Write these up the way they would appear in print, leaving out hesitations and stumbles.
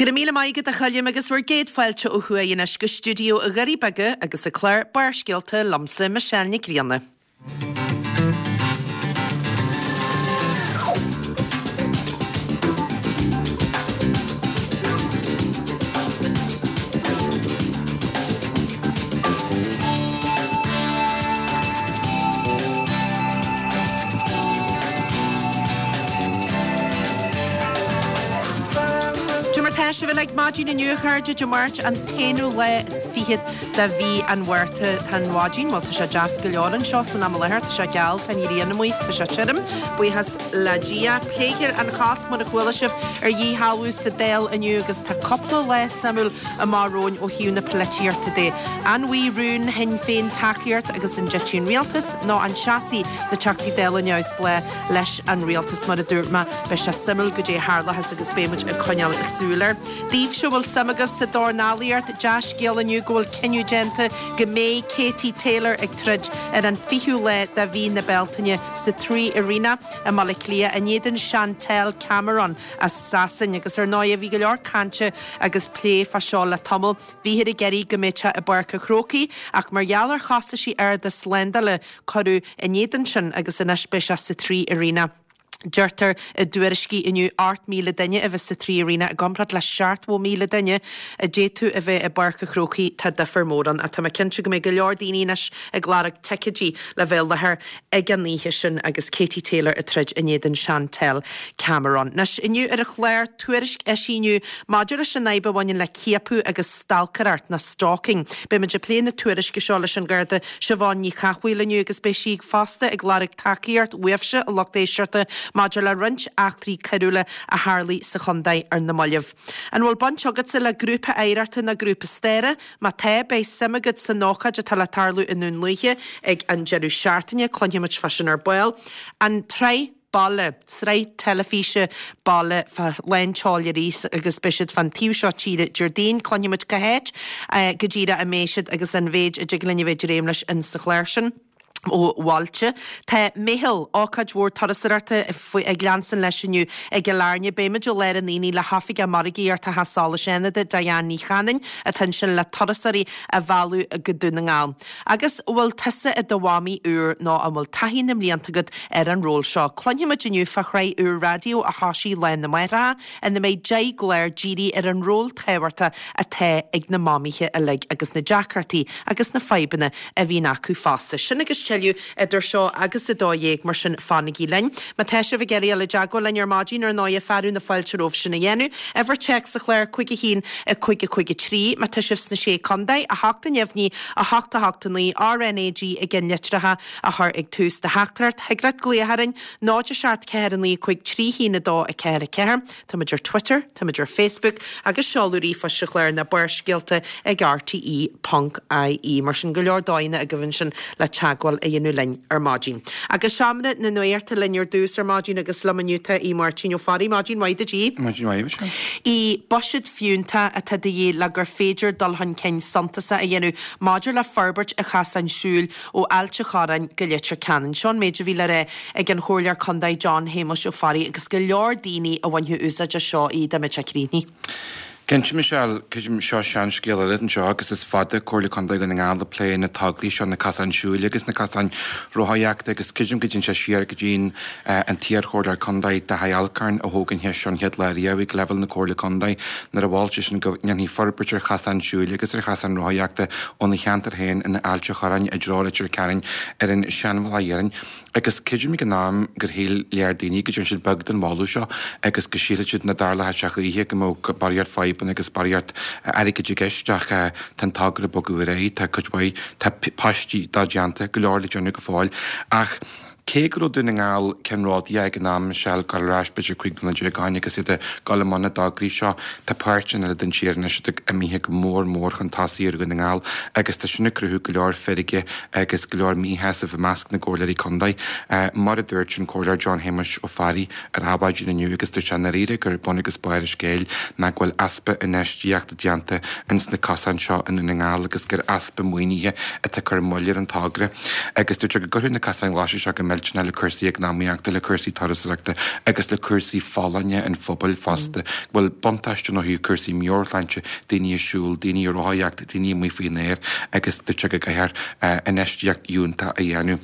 Go raibh míle maith agat a Choilm agus bhur gcéad fáilte ó thuaidh anois go stiúideo Dhoirí Beaga agus an clár Barrscéalta liomsa Michelle Nic Grianna. Cad é mar tá sibh uilig maidin inniu a chairde, Dé Máirt an t-aonú lá is fichead de mhí an Mhárta. Tá an mhaidin, bhuel tá sé deas go leor anseo san am i láthair, tá sé geal, tá an ghrian amuigh is tá sé tirim, buíochas le Dia. Pléifear an chosc mar a chuala sibh ar dhíshealbhú sa Dáil inniu agus tá cúpla lá suimiúil amach romhainn ó thaobh na polaitíochta de. An bhfaighidh rún Shinn Féin tacaíocht agus an dtitfidh an rialtas nó an seasfaidh na Teachtaí Dála neamhspleách leis an rialtas? Mar a dúirt mé, beidh sé suimiúil goidé a tharlóchas agus beidh muid ag coinneáil súil air. Daoibhse a bhfuil suim agaibh sa dornálaíocht, dea-scéala inniu go bhfuil cinneadh déanta go mbeidh Katie Taylor ag troid ar an 20ú lá de mhí na Bealtaine sa Three Arena i mBaile Átha Cliath in éadan Chantelle Cameron as Sasain agus ar ndóigh bhí go leor cainte agus plé fá seo le tamall. Bhíthear ag iarraidh go mbeadh sé i bPáirc an Chrócaigh ach mar gheall ar chostaisí arda slándála cuireadh in éadan sin agus anois beidh sé sa Three Arena. Deirtear i dtuairiscí inniu 8,000 duine a bheas sa Three Arena i gcomparáid le 70,000 duine a d'fhéadfadh a bheith i bPáirc an Chrócaigh. Tá difear mór ann ach tá mé cinnte go mbeidh go leor daoine anois ag lorg ticéidí le bheith i láthair ag an oíche sin agus Katie Taylor ag troid in éadan Chantelle Cameron. Anois, inniu ar an chlár, tuairisc eisithe inniu maidir leis an fhadhb a bhaineann le ciapadh agus stalcaireacht, nó stalking. Beidh muid ag plé na tuairisce seo leis an Gharda Siobhán Ní Chathmhaoil inniu agus beidh sí fosta ag lorg tacaíocht uaibhse, a lucht éisteachta, maidir le roinnt eachtraí coiriúla a tharlaigh sa chontae ar na mallaibh. An bhfuil baint agatsa le grúpa oidhreachta nó grúpa staire? Má tá, beidh suim agat san ócáid atá le tarlú i nDún Lúiche ag an deireadh seachtaine. Cluinfimid fá sin ar ball. An tsraith Baile, sraith teilifíse baile fá lán tseoil arís agus beidh siad fán taobh seo tíre Déardaoin. Cluinfimid cá háit go díreach a mbeidh siad agus an mhéid a dtig linn a bheith ag dréim leis in sa chlár sin. Ó bhailte. Tá Meitheal, ócáid mhór turasóireachta ag leanstan leis inniu i gCill Airne. Beimid i lár an aonaigh le hOifigeach Margaíochta Theach Solais Fhánada, Diane Ní Chanainn, atá ansin le turasóirí a mhealladh go Dún na nGall. Agus an bhfuil tusa i do mhamaí úr nó an bhfuil taithí na mblianta agat ar an ról seo? Cluinfimid inniu fá shraith úr raidió a thoisigh Lá na Máithreacha ina mbeidh 10 gclár dírithe ar an ról tábhachtach atá ag na mamaithe uilig agus na deacrachtaí agus na fadhbanna a bhíonn acu fosta. Sin agus tuilleadh idir seo agus 12, mar sin fanaigí linn. Má tá sibh ag iarraidh dul i dteagmháil linn ar maidin, ar ndóighe, fearadh na fáilte romhaibh sin a dhéanamh. Uimhir téacs an chláir, 5 1 5 5 3. Má tá sibh sna Sé Contae, 8 a neamhní, 8 8 9, RNAG i gceannlitreacha a chur ag tús do theachtaireacht. Thig leat glaoch orainn, 0 7 4 9 5 3 1 2 4 4. Táimid ar Twitter, táimid ar Facebook agus seoladh ríomhphoist an chláir ná Barrscéalta ag rte ponc ie. Mar sin, go leor dóigheanna agaibh ansin le teagmháil a dhéanamh linn ar maidin. Agus Seomra na Nuachta linn ar dtús ar maidin agus liom inniu tá Aodh Máirtín Ó Fearraigh. Maidin mhaith duit, Aodh. Maidin mhaith, Michelle. Aodh, buiséad fiúntach atá de dhíth le gur féidir dul chun cinn suntasach a dhéanamh maidir le forbairt an chasáin siúil ó Ailt an Chorráin go Leitir Ceanainn. Seo an méid a bhí le rá ag an Chomhairleoir Contae John Shéamuis Ó Fearraigh agus go leor daoine a bhainfeadh úsáid as seo dá mbeadh sé críochnaithe. Cinnte, Michelle, creidim, seo seanscéal eile anseo agus is fada Comhairle Contae Dhún na nGall ag plé na tograí seo, na casáin siúil agus na casáin rothaíochta agus creidim go dtéann sé siar go dtí'n an t-iar-chomhairleoir contae Daithí Alcorn a thóg an cheist seo an chéad lá riamh ag leibhéal na Comhairle Contae nuair a mhol seisean go ndéanfaí forbairt ar chasáin siúil agus ar chasáin rothaíochta óna cheantar féin in Ailt an Chorráin i dtreo Leitir Ceanainn ar an seanbhealach iarainn agus creidim ag an am gur shíl léar daoine go dtearn siad beag den mholadh seo agus go sílfeadh siad nach dtarlódh sé choíche go mbeadh barraíocht fadhbanna agus barraíocht airgid i gceist ach tá an togra ag bogadh ar aghaidh, tá cuid mhaith, tá paistí dá déanta, go leor le déanamh go fóill ach Cé go raibh Dún na nGall ceannródaíoch ag an am, Michelle, ag dul ar ais b'fhéidir 15 bliana ó shin agus iad ag dul i mbun na dtograí seo, tá páirteanna eile den tír anois atá imithe go mór mór chun tosaigh ar Dhún na nGall agus tá sin ag cruthú go leor feirge agus go leor míshásaimh i measc na gcomhairleoirí contae. Mar a dúirt an Comhairleoir John Shéamuis Ó Fearraigh ar Adhmhaidin inniu agus dúirt sé i ndáiríre gur bun agus barr an scéil ná go bhfuil easpa infheistíochta déanta ins na cosáin seo i nDún na nGall agus gur easpa maoinithe atá ag cur moill ar an togra agus dúirt sé go gcuirfeadh na casáin ghlaise seo go. millteanach le cúrsaí eacnamaíochta, le cúrsaí turasóireachta agus le cúrsaí folláine an phobail fosta, go bhfuil buntáiste ann ó thaobh cúrsaí meabhairshláinte, daoine ag siúl, daoine ag rothaíocht, daoine amuigh faoin aer agus dúirt sé go gcaithfear infheistíocht fhiúntach a dhéanamh.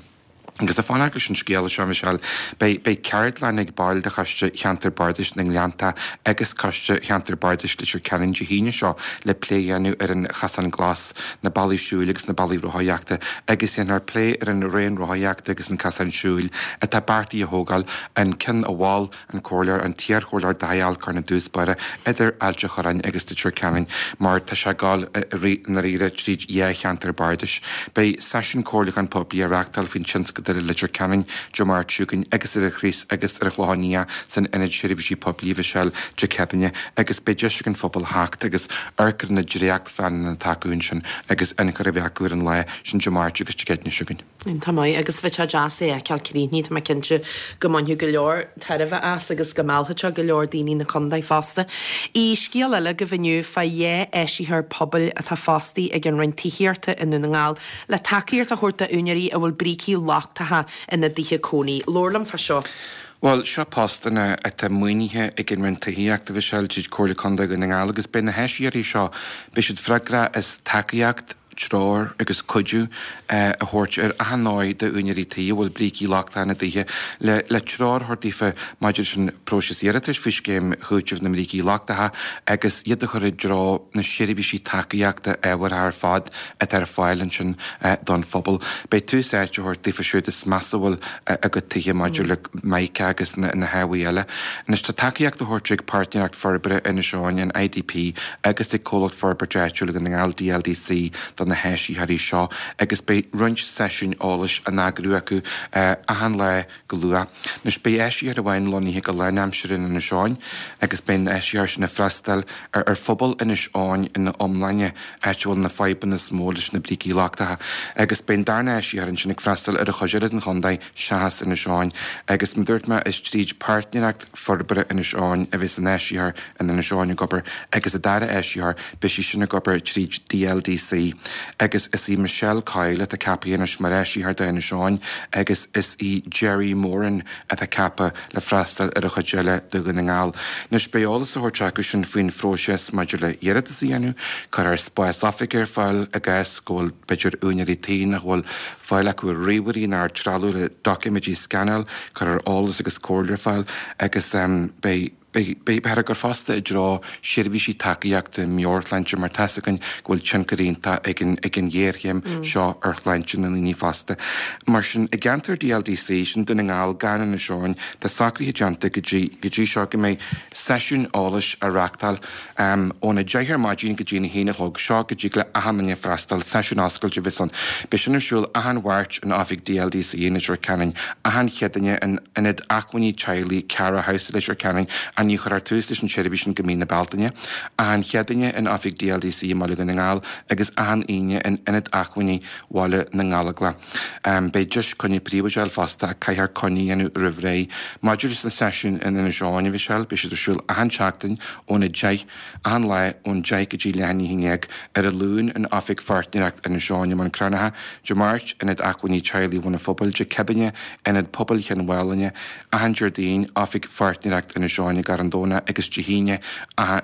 Agus ag fanacht leis an scéal seo, Michelle, beidh beidh ceardlann ag baill de Choiste Cheantar Bardais na nGleanntach agus Coiste Cheantar Bardais Leitir Ceanainn Dé hAoine seo le plé a dhéanamh ar an Chosán Glas, na bealaí siúil agus na bealaí rothaíochta agus déanfar plé ar an raon rothaíochta agus an casán siúil atá beartaithe a thógáil, an ceann a mhol an Comhairleoir, an t-iarchomhairleoir Dáithí Alcorn i dtús báire, idir Ailt a' Chorráin agus Leitir Ceanainn, mar tá sé ag gabháil i ndáiríre tríd dhá cheantar bardais. Beidh seisiún comhairliúcháin poiblí á reachtáil faoin tionscadal i Leitir Ceanainn Dé Máirt seo chugainn agus ar an Chraos agus ar an Chlochán Liath san Ionad Seirbhísí Poiblí, a Mhichelle, Dé Céadaoine agus beidh deis ag an phobal theacht agus amharc ar na dréachtphleananna atá acu ansin agus ionchur a bheith acu ar an lá sin Dé Máirt agus Dé Céadaoine seo chugainn. Iontach maith, agus bheadh sé deas é a fheiceáil críochnaithe, tá mé cinnte go mbainfeadh go leor tairbhe as agus go meallfadh sé go leor daoine na contae fosta. I scéal eile agaibh inniu fá dhá áisitheoir pobail atá fostaithe ag an Roinn Tithíochta i nDún na nGall le tacaíocht a thabhairt d'úinéirí a bhfuil brící lochtacha ina dtithe cónaí. Labhair liom fá seo. Bhuel, seo postanna atá maoinithe ag an Roinn Tithíochta, a Mhichelle, tríd Comhairle Contae Dhún na nGall agus beidh na háisitheoirí seo, beidh siad freagrach as tacaíocht, treoir agus cuidiú a thabhairt ar achan ndóigh d'úinéirí tí a bhfuil brící lochtacha ina dtithe le le treoir a thabhairt daofa maidir leis an bpróiseas iarratais faoi Scéim Chúitimh na mBrící Lochtacha agus iad a chur i dtreo na seirbhísí tacaíochta ábhartha ar fad atá ar fáil ansin don phobal. Beidh tús áite á thabhairt daofa siúd is measa a bhfuil a gcuid tithe maidir le mica agus na hábhair eile. Anois tá tacaíocht á thabhairt ag Páirtnéireacht Forbartha Inis Eoghain, an IDP, agus ag Comhlacht Forbartha Áitiúil Dhún na nGall, DLDC, do na háisitheoirí seo agus beidh roinnt seisiúin eolais á n-eagrú acu achan lá go luath. Anois beidh áisitheoir amháin lonnaithe go lánaimseartha in Inis Eoghain agus beidh an áisitheoir sin ag freastal ar phobal Inis Eoghain ina iomláine, áit a bhfuil na fadhbanna is mó leis na brící lochtacha, agus beidh an darna áisitheoir ansin ag freastal ar an chuid eile den chontae seachas Inis Eoghain. Agus mar a dúirt mé, is tríd Páirtnéireacht Forbartha Inis Eoghain a bheas an áisitheoir in Inis Eoghain ag obair agus an dara áisitheoir, beidh sí sin ag obair tríd DLDC. Agus is í Michelle Coyle atá ceaptha anois mar áisitheoir d'Inis Eoghain agus is í Gerry Moran atá ceaptha le freastal ar an chuid eile de Dhún na nGall. Anois beidh eolas á thabhairt acu sin faoin phróiseas maidir le hiarratas a dhéanamh, cuirfear spás oifige ar fáil i gcás go bhfuil b'fhéidir úinéirí tí nach bhfuil fáil acu ar ríomhairí ná ar trealamh le doiciméidí a scanáil, cuirfear eolas agus comhairle ar fáil agus beidh Beidh, beifear ag cur fosta i dtreo seirbhísí tacaíochta meabhairshláinte mar tá's againn go bhfuil tionchar iontach ag an ag an ghéarchéim seo ar shláinte na ndaoine fosta. Mar sin, i gceantar DLDC, sin Dún na nGall gan Inis Eoghain, tá socruithe déanta go dtí go dtí seo go mbeidh seisiúin eolais á reachtáil Óna 10 ar maidin go dtí an 1 a chlog, seo go dtig le achan duine freastal, seisiún oscailte a bheas ann. Beidh sin ar siúl achan Mháirt in oifig DLDC i Leitir Ceanainn, achan Chéadaoine in Ionad Acmhainní Teaghlaigh Cara House i Leitir Ceanainn, ach ní chuirfear tús leis an tseirbhís sin go mí na Bealtaine, achan Chéadaoine in oifig DLDC i mBaile Dhún na nGall agus achan Aoine in Ionad Acmhainní Bhaile na nGallóglach. Beidh deis coinne príobháideach a fháil fosta ach caithfear coinne a dhéanamh roimh ré. Maidir leis na seisiúin in Inis Eoghain, a Mhichelle, beidh siad ar siúl achan tseachtain óna 10, achan lá ón 10 go dtí leath i ndiaidh a 11, ar an Luan in Oifig Pháirtnéireacht Inis Eoghain i mBun Cranncha, Dé Máirt, Ionad Acmhainní Teaghlaigh Bhun an Phobail, Dé Céadaoine, Ionad Pobail Chionn Mhálanna, achan Déardaoin, Oifig Pháirtnéireacht Inis Eoghain i gCarn Domhnach agus Dé hAoine,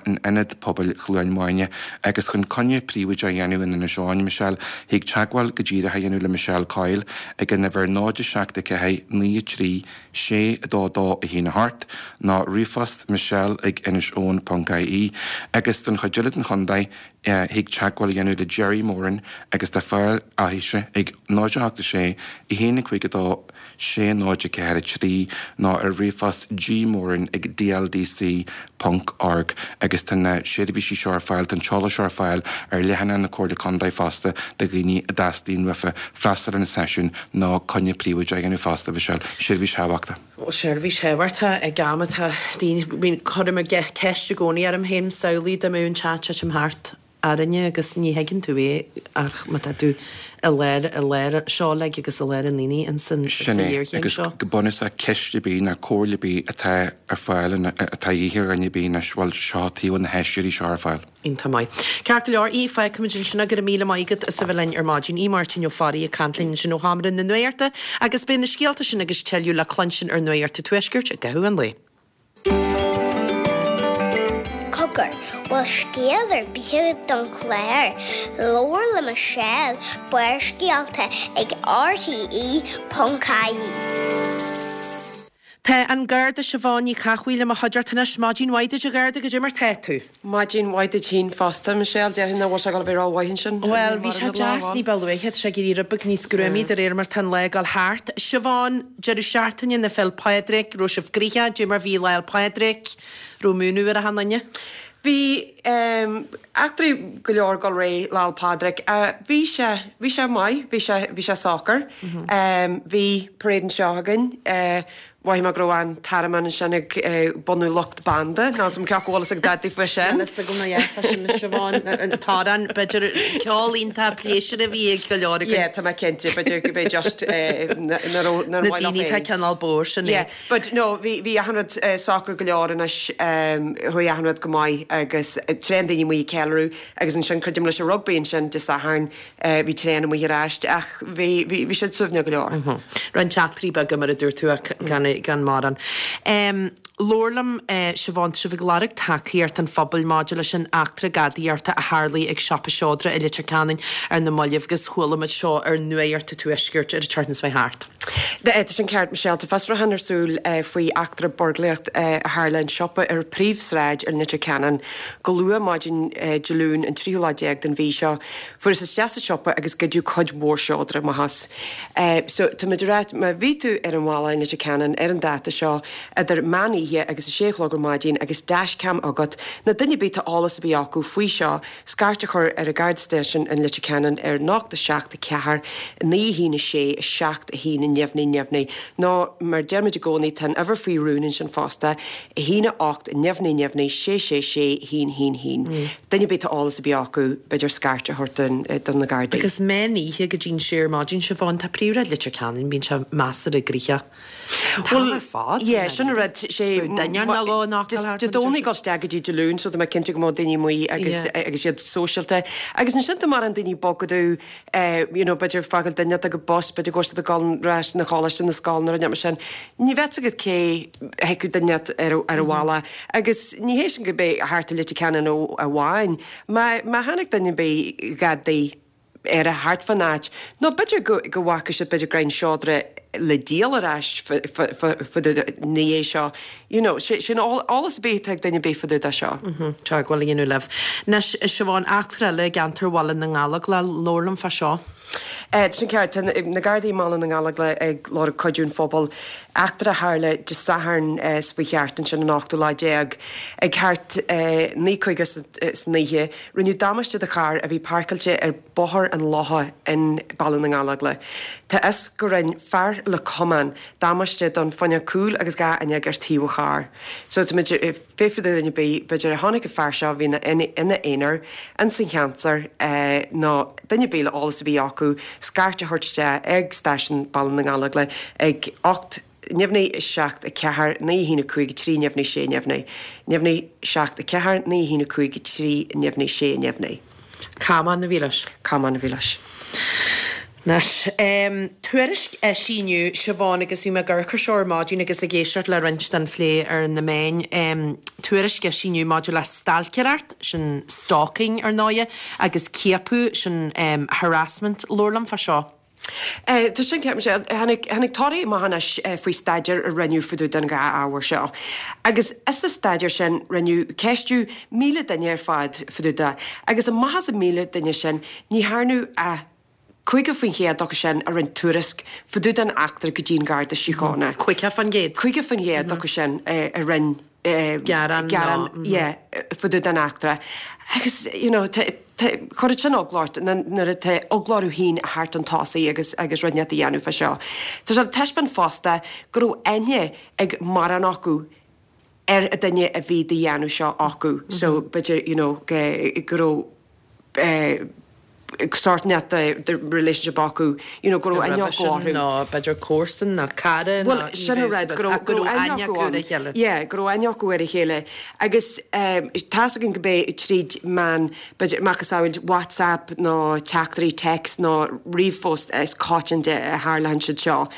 in Ionad Pobail Chluain Mhaine. Agus chun coinne príobháideach a dhéanamh in Inis Eoghain, Michelle, thig teagmháil go díreach a dhéanamh le Michelle Coyle ag an uimhir 0 7 4 9 3 6 2 2 1 8 nó ríomhphost michelle ag iniseoghan ponc ie agus don chuid eile den chontae thig teagmháil a dhéanamh le Gerry Moran agus tá fáil uirthise ag 0 8 6 1 5 2 6 0 4 3 nó ar ríomhphost gmoran ag dldc ponc org agus tá na seirbhísí seo ar fáil, tá an t-eolas seo ar fáil ar leathanach na Comhairle Contae fosta do dhaoine a dteastaíonn uafa freastal ar na seisiúin nó coinne príobháideach a dhéanamh fosta, Michelle. Seirbhís thábhachtach. Seirbhís thábhachtach ag am atá daoine, cuirim ceist i gcónaí orm féin, samhlaigh dá mbeadh an teach ag titim thart. Árainn agus ní thuigeann tú é ach má tá tú i lár, i lár seo uilig agus i lár an aonaigh ins an, Sin sa é, ghéarchéim agus seo. go bunúsach ceist ar bith ná comhairle ar bith atá ar fáil, atá a dhíth ar dhuine ar bith anois, bhuel, seo taobh na háisitheoirí seo ar fáil. Iontach maith. Ceart go leor, Aodh, fágfaimid ansin é. Go raibh míle maith agat as a bheith linn ar maidin. Aodh Máirtín Ó Fearraigh ag caint linn ansin ó Sheomra na Nuachta agus beidh na scéalta sin agus tuilleadh le cluinstin ar Nuacht an Tuaiscirt i gcaitheamh an lae. Cogar, bhfuil scéal ar bith agat don chlár? Labhair le Michelle, Barrscéalta ag RTE.ie. Tá an Garda Siobhán Ní Chathmhaoil i mo chuideachta anois. Maidin mhaith duit a Gharda, goidé mar tá tú? Maidin mhaith duit féin fosta, Michelle. Déarfainn nach bhfuil sé ag dul a bheith ró-mhaith ansin. Bhuel, bhí sé deas ní ba luaithe, tá sé ag éirí rud beag níos gruamaí de réir mar tá an lá ag dul thart. Siobhán, deireadh seachtaine na Féil' Pádraig, raibh sibh gnoitheach, goidé mar bhí Lá 'le Pádraig, raibh múineadh ar achan duine? Bhí eachtraí go leor ag dul ar aghaidh Lá 'le Pádraig. Bhí sé, bhí sé maith, bhí sé, bhí sé socair. Bhí parade anseo againn. Mhothaigh mé go raibh an t-armán ansin ag bunú lucht banda, níl 'fhios a'm cé acu bhfuil fhios ag dadaí faoi sin. Níl fhios agam ná fá sin a Siobhán, an t-amhrán, b'fhéidir ceol iontach pléisiúr a bhí ag go leor againn. Yeah, tá mé cinnte, b'fhéidir go b'é just na raibh, Na daoine atá cineál bodhar sin é. Yeah, but no, bhí, bhí achan rud socair go leor anois, chuaigh achan rud go maith agus tréan daoine amuigh ag ceiliúradh agus ansin creidim leis an rugbaí ansin Dé Sathairn, Bhí tréan amuigh ar ais ach bhí, bhí, bhí siad suaimhneach go leor. Roinnt eachtraí beaga mar a dúirt tú ach gan, gan mórán. Labhair liom, Siobhán, tá sibh ag lorg tacaíocht an phobail maidir leis an eachtra gadaíochta a tharlaigh ag siopa seodra i Leitir Ceanainn ar na mallaibh agus chuala muid seo ar Nuacht an Tuaiscirt ar an tseachtain seo thart. Tá sin ceart, Michelle. Tá fiosrúchán ar súil faoi eachtra buirgléireacht a tharla in siopa ar Phríomhshráid i Leitir Ceanainn go luath maidin Dé Luain an tríú lá déag den mhí seo. Fuarthas isteach sa siopa agus goideadh cuid mhór seodra amach as. So, táimid ag rá, má bhí tú ar an bhealach i Leitir Ceanainn ar an dáta seo, idir meán oíche agus a sé a chlog ar maidin agus dashcam agat, nó duine ar bith tá eolas ar bith acu faoi seo, scairt a chur ar an Garda Station in Leitir Ceanainn ar 0 7 4 9 1 6 7 1 neamhní neamhní. Nó, mar deirimid i gcónaí, tá an uimhir faoi rún ansin fosta, 1 8 neamhní neamhní 6 6 6 1 1 1. Duine ar bith tá eolas ar bith acu, b'fhéidir scairt a thabhairt do na Gardaí. Agus meán oíche go dtí'n sé ar maidin, Siobhán, tá príomhshráid Leitir Ceanainn, bíonn sé measartha gnoitheach an t-am ar fad. Yeah, sin an rud, sé Duine nó dhó in Acaill thart Dé Domhnaigh ag dul isteach go dtí Dé Luain, so tá mé cinnte go mbeadh daoine amuigh agus agus iad sóisialta. Agus ansin tá mórán daoine ag bogadh, you know, b'fhéidir fágáil duine ag bus, b'fhéidir go bhfuil siad ag dul ar ais 'na choláiste, na scoil nó rud mar sin. Ní bheadh agat cé thiocfadh duine ar an bhealach agus ní hé sin go mbeidh thart i Leitir Ceanainn amháin. Má má tháinig duine ar bith gadaí ar thart fán áit nó b'fhéidir go go bhfaca siad b'fhéidir go raibh an seodra le díol ar ais fá dtaobh ina dhiaidh seo. You know, sé sin eolas ar bith atá ag duine ar bith fá dtaobh de seo. Teagmháil a dhéanamh libh. Anois, a Siobhán, eachtra eile i gceantar Bhaile na nGallóglach, labhair liom fá seo. Tá sin ceart. Tá na Gardaí i mBaile na nGallóglach ag lorg cuidiú an phobail. Eachtra a tharla Dé Sathairn seo chuaigh thart ansin an ochtú lá déag. Ag thart 9:50 san oíche, rinneadh damáiste do charr a bhí páirceáilte ar Bhóthar an Locha in Baile na nGallóglach. Tá fhios go rinn fear le camán damáiste don fuinneog cúil agus 2 fhuinneog ar taobh an chairr. So tá muid ag fiafraí de dhuine ar bith, b'fhéidir a chonaic an fear seo a bhí ina aonar ins an cheantar nó duine ar bith le eolas ar bith acu, scairt a thabhairt isteach ag stáisiún Baile na nGallóglach ag 8 neamhní 7 4 9 1 5 3 neamhní 6 neamhní, neamhní 7 4 9 1 5 3 neamhní 6 neamhní. Camán a bhí leis. Camán a bhí leis. Anois, tuairisc eisithe inniu, Siobhán, agus bhí mé ag amharc air seo ar maidin agus ag éisteacht le roinnt den phlé ar na meáin, tuairisc eisithe inniu maidir le stailcéireacht, sin stalking ar ndóighe, agus ciapadh, sin harassment. Labhair liom fá seo. Tá sin ceart, Michelle. Tháinig, tháinig torthaí amach anois faoi staidéar a rinneadh fá dtaobh den dhá ábhar seo. Agus sa staidéar sin, rinneadh ceistiú 1,000 duine ar fad fá dtaobh de. Agus amach as an 1,000 duine sin, ní thearnadh ach 50% acu sin a rinne tuairisc fá dtaobh den eachtra go dtí an Garda Síochána. 50%? 50% acu sin a rinne gearán, gearán, yeah, fá dtaobh den eachtra. Agus, you know, tá, tá, chuirfeadh sin eagla ort nuair atá eagla orthu féin a theacht chun tosaigh agus, agus rud inteacht a dhéanamh fá seo. Tá sé ag taispeáint fosta go raibh aithne ag mórán acu ar an duine a bhí do dhéanamh seo acu. So, b'fhéidir, you know, go, go raibh. sórt inteacht de relationship acu, you know, go raibh aithne acu orthu. Nó b'fhéidir comharsan nó cara nó Bhuel, sin an rud, go raibh, go raibh aithne acu ar a chéile. Yeah, go raibh aithne acu ar a chéile. Agus tá's againn go b'é tríd meán, b'fhéidir, macasamhail WhatsApp nó teachtairí text nó ríomhphost is coitianta a tharlaíonn siad seo.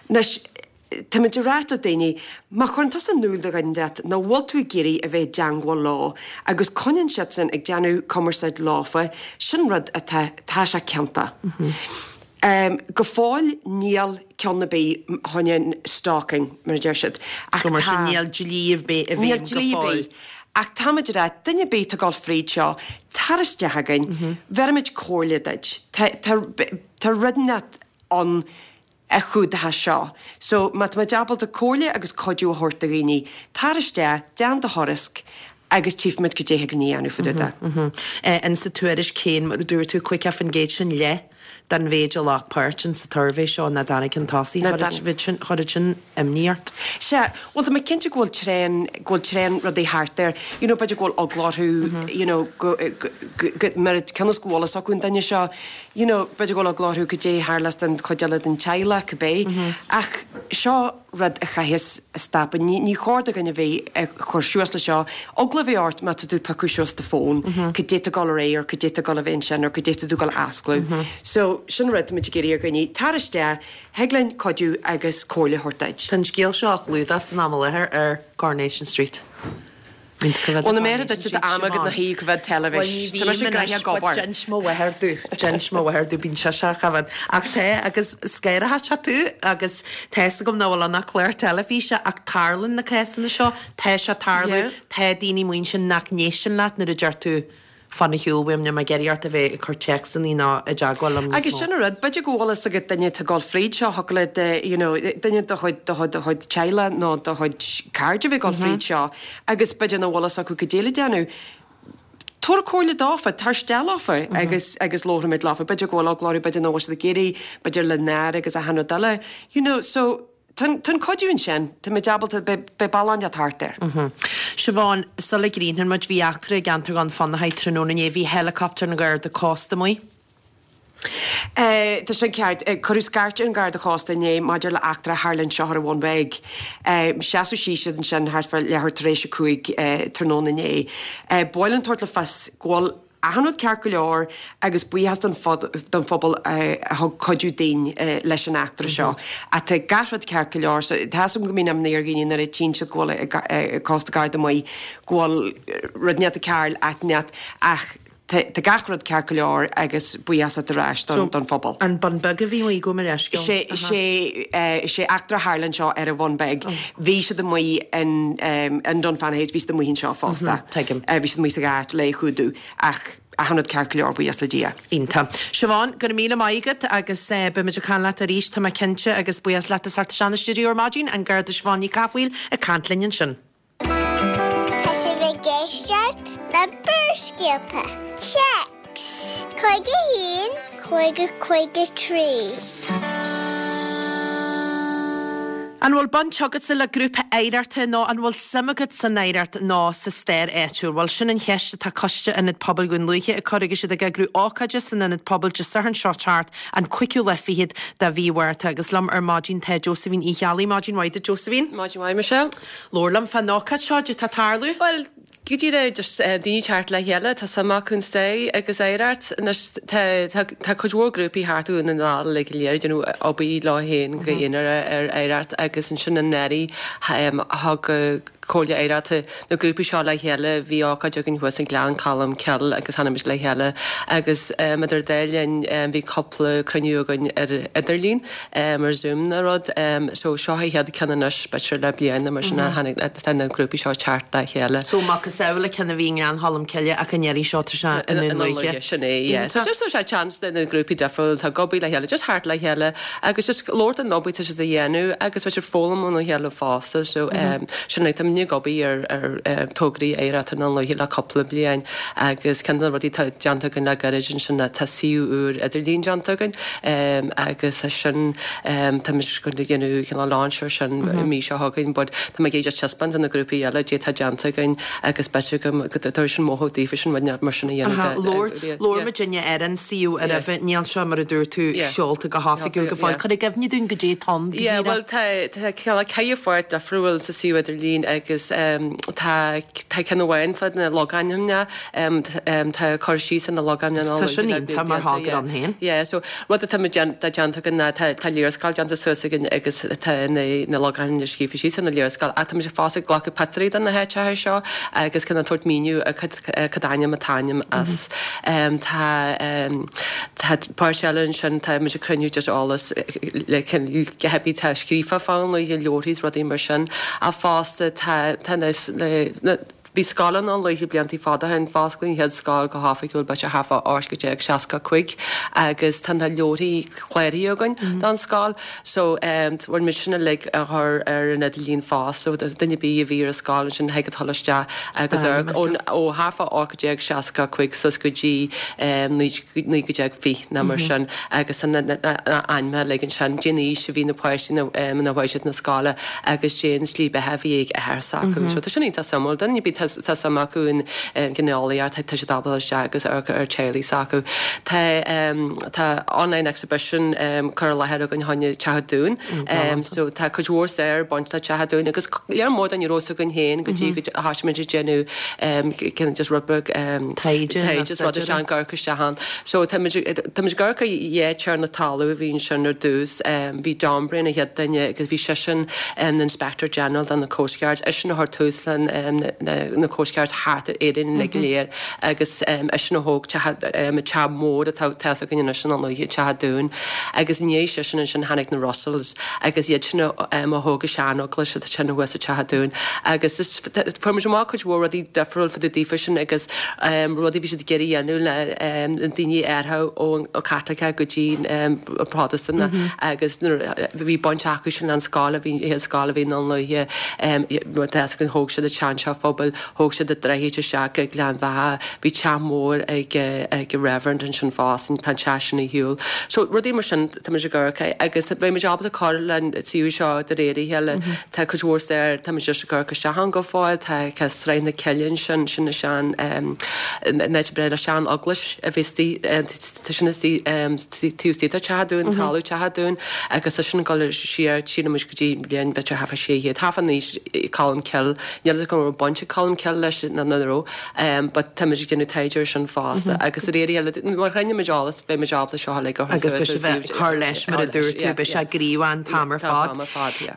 Anois, Táimid ag ráit le daoine, má chuireann tusa in iúl do dhuine inteacht nach bhfuil tú ag iarraidh a bheith i dteangmháil leo agus coinníonn siadsan ag déanamh cumarsáid leofa, sin rud atá, tá sé ciontach. Go fóill níl ceann ar bith fá choinne stalking, mar a deir siad, ach tá. So mar sin níl dlí ar bith i Níl bhfeidhm go dlí ar fóill. bith. Ach táimid ag ráit, duine ar bith atá ag dul fríd seo, tar isteach chugainn, bhéarfaimid comhairle duit. Tá, tá, tá rud inteacht ann a chumhdaithe seo. So, má tá muid ábalta comhairle agus cuidiú a thabhairt do dhaoine, tar isteach, déan do thuairisc agus tchífimid cad é thig linn a dhéanamh fá dtaobh de. In sa tuairisc féin, mar a dúirt tú, 50% sin leath den mhéid a ghlac páirt in sa tsuirbhé seo nach dtáinig chun tosaigh. Chuir sin imní ort? Sea, bhuel tá mé cinnte go bhfuil tréan, go bhfuil tréan rudaí thart air. You know, b'fhéidir go bhfuil eagla orthu, you know, go, go, go, mar cionn is go bhfuil fhios acu an duine seo, you know, b'fhéidir go bhfuil eagla orthu cad é a tharlós don chuid eile den teaghlach, cibé. Ach seo rud a chaithfeas stopadh. Ní, ní chóir do dhuine bheith ag cur suas le seo. Eagla a bheith ort má tá tú ag piocadh suas do fón, cad é tá ag dul ar aghaidh or cad é tá ag dul a bheith ansin or cad é tá tú ag dul a osclú. So, sin rud táimid ag iarraidh ar dhaoine, tar isteach, thig linn cuidiú agus comhairle a thabhairt duit. Tá an scéal seo á chlúdach san am i láthair ar Coronation Street. Bhuel, na méara duit tá am agat na thaobh go bhfead teilifís. Tá mise gnoitheach ag obair. D'inis mo mháthair domh, d'inis mo mháthair domh, bíonn sise á choimhéad. Ach tá, agus scanróidh sé tú agus tá fhios agam nach bhfuil ann ach clár teilifíse ach tarlaíonn na cásanna seo, tá sé ag tarlú, tá daoine amuigh ansin nach n-éisteann leat nuair a deir tú, Fan ar shiúl uaim, níl mé ag iarraidh ort a bheith ag cur téacsanna ná i dteagmháil liom níos Agus mó. sin an rud, b'fhéidir go bhfuil fhios agat duine atá ag dul fríd seo, thiocfadh le do, you know, duine de chuid, de chuid, de chuid teaghlach nó de chuid cairde a bheith ag dul fríd seo agus b'fhéidir nach bhfuil fhios acu cad é le déanamh. Tabhair comhairle dófa, tar isteach leofa agus, agus labharfaimid leofa. B'fhéidir go bhfuil eagla orthu, b'fhéidir nach bhfuil siad ag iarraidh, b'fhéidir le náire agus achan rud eile, you know, so. Tá an cuidiú ansin, tá muid ábalta, beidh bealach inteacht thart air. Siobhán, sula gcríochnóidh muid, bhí eachtra i gceantar Dhún Fionnachaidh tráthnóna inné, bhí helicopter an Gharda Cósta amuigh. Tá sin ceart. Cuireadh scairt ar an Gharda Chósta inné maidir le eachtra a tharla anseo ar an Bhun Beag. Seasadh síos siad ansin thart fá leathuair tar éis 5 tráthnóna inné. Ba mhaith linn tabhairt le fios go bhfuil achan rud ceart go leor agus buíochas don don phobal a thug cuidiú dúinn leis an eachtra seo. Ach tá gach rud ceart go leor so tá 'fhios agam go mbíonn imní ar dhaoine nuair a tchíonn siad go bhfuil cósta garda amuigh go bhfuil rud inteacht ag tarlú áit inteacht ach tá tá gach rud ceart go leor agus buíochas ar ais don don phobal. An Bun Beag a bhí amuigh gabh mo leithscéal. Sé sé sé eachtra a tharla anseo ar an Bhun Beag. Bhí siad amuigh in in Dunfanaghy, bhí siad amuigh anseo fosta. Tuigim. Bhí siad amuigh sa gháirt le cumhdú ach achan rud ceart go leor, buíochas le Dia. Iontach. Siobhán, go raibh míle maith agat agus beimid ag caint leat arís, tá mé cinnte, agus buíochas leat as theacht isteach na stiúideo ar maidin, an Garda Siobhán Ní Cathmhaoil ag caint linn ansin. Tá sibh ag éisteacht le Barrscéalta. Téacs 51 50 53. An bhfuil baint agatsa le grúpa oidhreachta nó an bhfuil suim agat san oidhreacht nó sa stair áitiúil? Bhuel, sin an cheist atá Coiste Ionad Pobail Dhún Lúiche ag cur agus iad ag eagrú ócáide san Ionad Pobail Dé Sathairn seo teacht, an cúigiú lá fichead de mhí Mhárta. Agus liom ar maidin tá Josephine Uí Cheallaigh. Maidin mhaith duit, Josephine. Maidin mhaith, Michelle. Labhair liom fán ócáid seo, cad é atá ag tarlú. Bhuel, go díreach just daoine teacht le chéile, tá suim acu in stair agus oidhreacht. Anois tá tá tá cuid mhór grúpaí thart Dhún na nGall uilig go léir ag déanamh obair leo féin go haonarach ar oidhreacht agus ansin anuraidh thug Comhairle Oidhreachta na grúpaí seo le chéile. Bhí ócáid againn thuas i nGleann Cholm Cille agus tháinig muid le chéile agus idir an dá linn bhí cúpla cruinniú againn ar idirlíon. ar Zoom nó rud. So seo an chéad ceann anois b'fhéidir le bliain nó mar sin a tháinig tá na grúpaí seo teacht le chéile. So macasamhail an ceann a bhí i nGleann Cholm Cille ach an iarraidh seo tá sé i nDún Lúiche. Sin é, yeah. So just tá sé chance do na grúpaí difriúla atá ag obair le chéile, just theacht le chéile agus just labhairt an obair atá siad a dhéanamh agus b'fhéidir foghlaim óna chéile fosta. So sin é, tá. muidne ag obair ar ar tograí oidhreachta i nDún Lúiche le cúpla bliain agus ceann de na rudaí atá déanta againn le gairid ansin ná tá suíomh úr idirlín déanta againn agus é sin tá muid going to déanamh cineál launch ar sin an mhí seo chugainn but tá mé ag iarraidh just taispeáint do na grúpaí eile caidé atá déanta againn agus b'fhéidir go dtabharfaidh sin mothú daofa sin rud mar sin a dhéanamh de. Labhair muidinne ar an suíomh roimhe, níl sé mar a dúirt tú seolta go hoifigiúil go fóill. Cuir i gcuimhne dúinn goidé atá ann go díreach. Bhuel tá cineál ceithre pháirt difriúil sa suíomh idirlín agus tá tá ceann amháin fá na logainmneacha, tá cur síos ar na logainmneacha. Tá sin iontach mar thogra ann féin. Yeah, so rud atá déanta againn ná tá léarscáil déanta suas againn agus tá na logainmneacha scríofa síos ar na léarscáil ach tá muid fosta ag glacadh pictiúirí de na háiteacha seo agus cineál tabhairt míniú ar cad ainm an t-ainm as. Tá tá páirt eile ansin tá muid ag cruinniú just eolas le cibé atá scríofa fá Dhún Lúiche, leabharthaí is rudaí mar sin ach fosta tá tá na na Bhí scoil i nDún Lúiche bliantaí fada ó shin, fosclaíodh an chéad scoil go hoifigiúil b'fhéidir thart fá 1865 agus tá na leabharthaí cláraithe againn don scoil so bhfuil muid sin uilig a chur ar an idirlíon fosta so duine ar bith a bhí ar an scoil ansin thig a dhul isteach agus amharc ó thart fá 1865 suas go dtí 1920 nó mar sin agus tá na ainmneacha uilig ansin, cén aois a bhí na páistí nuair a chuaigh siad na scoile. agus cén slí beatha a bhí ag athair s'acu. So tá sin iontach suimiúil. Duine ar bith tá suim acu in ginealaíocht, tá siad ábalta isteach agus amharc ar teaghlaigh s'acu. Tá tá online exhibition curtha i láthair againn fá choinne Teach an Dúin. So tá cuid mhór stair ag baint le Teach an Dúin agus léar mór de ní raibh fhios againn féin go dtí go thoisigh muid ag déanamh kind of just rud beag taighde taighde is rud is ag amharc isteach ann. So tá muid tá muid ag amharc ar dhá tiarna talún a bhí ansin ar dtús. Bhí John Breen an chéad duine agus bhí seisean ina Inspector General do na Coast Guards. Eisean a chuir tús le na Coast Guards thart ar Éirinn uilig go léir agus eisean a thóg teach mór atá tá fhios againn anois i nDún Lúiche, Teach an Dúin. Agus i ndiaidh seisean ansin tháinig na Russells agus iad sin a thóg an sean-eaglais atá ansin thuas i Teach an Dúin. Agus fuair muid amach cuid mhór rudaí difriúil fá dtaobh daofa sin agus rudaí a bhí siad ag iarraidh a dhéanamh le daoine a athrú ó Chaitliceach go dtí Protastúnach agus nuair a bhí baint acu sin an scoil a bhí an scoil a bhí i nDún Lúiche tá fhios againn thóg siad an seanteach phobail, thóg siad an droichead isteach go Gleann Bheatha, bhí teach mór ag ag an Reverend ansin fosta, tá an teach sin ar shiúl. So rudaí mar sin tá muid ag amharc air agus beidh muid ábalta cur le an suíomh seo de réir a chéile. Tá cuid mhór stair, tá muid just ag amharc isteach ann go fóill, tá Sraith na Cille ansin, sin an sean an áit a breá le sean eaglais a bhí istigh Tá sin istigh taobh istigh de Teach an Dúin, talamh Teach an Dúin, agus tá sin ag dul siar, sílim muid go dtí bliain b'fhéidir thart fá 600, thart fá aois Colm Cille, níl fhios agam an raibh baint ag Colm Cille leis nó nach raibh, but tá muid ag déanamh taighde ar sin fosta agus de réir a chéile, mar a chruinníonn muid eolas, beidh muid ábalta seo uilig a chur Agus beidh sibh ag cur leis mar a dúirt tú, beidh sé gníomhach an t-am ar fad. An t-am ar fad, yeah.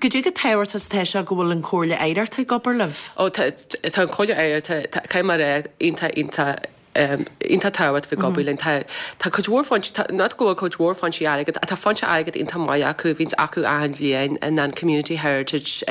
Goidé chomh tábhachtach is atá sé go bhfuil an Chomhairle Oidhreachta ag obair libh? Ó tá, tá an Chomhairle Oidhreachta, caithfidh mé a rá, iontach, iontach iontach tábhachtach ag obair linn. Tá tá cuid mhór foinsí, tá, not go bhfuil cuid mhór foinsí airgid, ach tá foinse airgid iontach maith acu, a bhíonns acu achan bhliain in an Community Heritage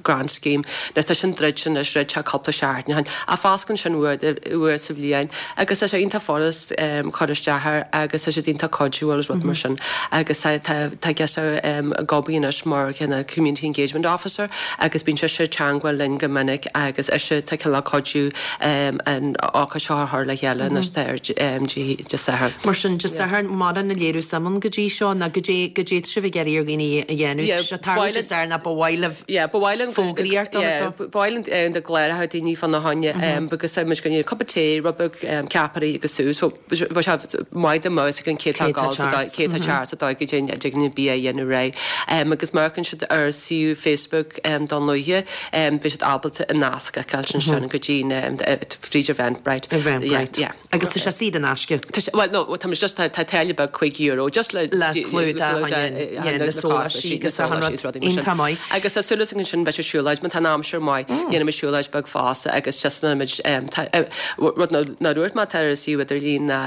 Grant Scheme. Now tá sin druidte anois, dhruid sé cúpla seachtain ó shin, ach fosclaíonn sin uair uair sa bhliain agus tá sé iontach furast cur isteach air agus tá siad iontach cuidiúil agus rud mar sin. Agus tá tá tá girseach ag obair anois mar kind of Community Engagement Officer agus bíonn sise ag teangmháil linn go minic agus ise tá cineál cuidiú an ócáid seo a chur le chéile anois tá ar Dé Sathairn. Mar sin, Dé Sathairn, mura léiriú suim ann go dtí seo, ná goidé, goidé tá sibh ag iarraidh ar dhaoine a dhéanamh, tá sé ag tarlú Dé Sathairn ach ba mhaith libh fógraíocht a thabhairt dó. Ba mhaith linn dá gcláródh daoine fána choinne because tá muid ag déanamh cupa tae, rud beag ceapairí agus sú so bheadh sé maith dá mbeadh fhios againn cé tá ag dul sa dóigh, cé tá teacht sa dóigh go dtig linn bia a dhéanamh réidh. Agus má amharcann siad ar suíomh Facebook Dún Lúiche, beidh siad ábalta an nasc a fheiceáilt ansin go dtí fríd Eventbrite. Eventbrite. Yeah. Agus tá sé saor in aisce. Tá sé, well no, tá muid just, tá táille beag €5 just le Le clúdach na sóláistí agus achan rud. Iontach maith. Agus tá súil againn ansin beidh sé siúlóid, má tá an aimsir maith, déanfaidh muid siúlóid beag fosta agus just muid, rud nár dhúirt mé atá ar an suíomh idirlín ná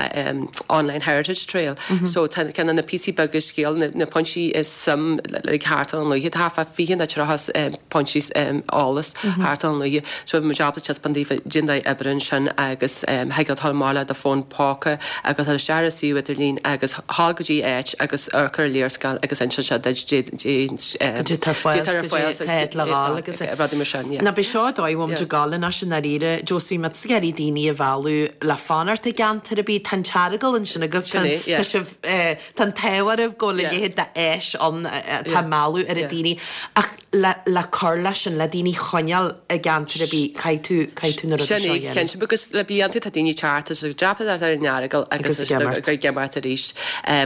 Online Heritage Trail. So tá ceann de na píosaí beaga scéal, na pointí is suim like thart ar Dhún Lúiche, tá thart fá 20 nó 30 pointí eolas thart ar Dhún Lúiche. So bhí muid ábalta taispeáint daofa cén dóigh oibre ansin agus thig. Thig leat dul amach le do fón póca agus dul isteach ar an suíomh idirlín agus dhul go dtí áit agus amharc ar an léarscáil agus inseann sé duit Goidé tá ar fáil, goidé cá háit le dhul agus rudaí mar sin, yeah. Now beidh seo an dóigh a bhfuil muid ag dul anois i ndáiríre, Josephine, má tá tú ag iarraidh daoine a mhealladh le fanacht i gceantar ar bith, tá an tEaragail ansin agaibh, Sin é, yeah. tá sibh, tá an t-ádh oraibh go bhfuil a leithéid d'áis ann atá ag mealladh oiread daoine ach le le cur leis sin, le daoine a choinneáil i gceantar ar bith, caithfidh tú, caithfidh tú na rudaí Sin seo a é, dhéanamh. cinnte, because le blianta tá daoine ag teacht is ag dreapadh ar an Earagail agus Agus ag imeacht. ag imeacht arís.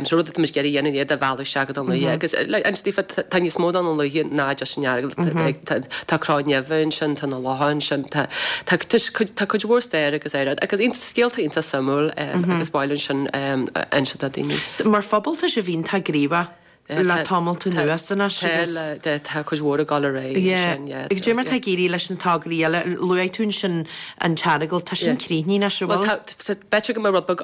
So rud atá muid ag iarraidh a dhéanamh iad a mhealladh isteach go Dún Lúiche agus like inse daofa tá níos mó ná Dún Lúiche ná just an Earagail. Tá tá Cró Neimhe ansin, tá na locha ansin, tá tá tá cuid mhór stair agus oidhreacht agus scéalta iontach suimiúil agus ba mhaith linn sin a inse do daoine. Mar phobal tá sibh iontach gníomhach le tamalt anuas anois agus. Tá, tá cuid mhór ag dul ar aghaidh Yeah. ansin, yeah. Agus goidé mar tá ag éirí leis na tograí eile, luaigh tú ansin an tEaragail, tá sin críochnaithe anois, an Bhuel bhfuil? tá, b'fhéidir go mbeidh rud beag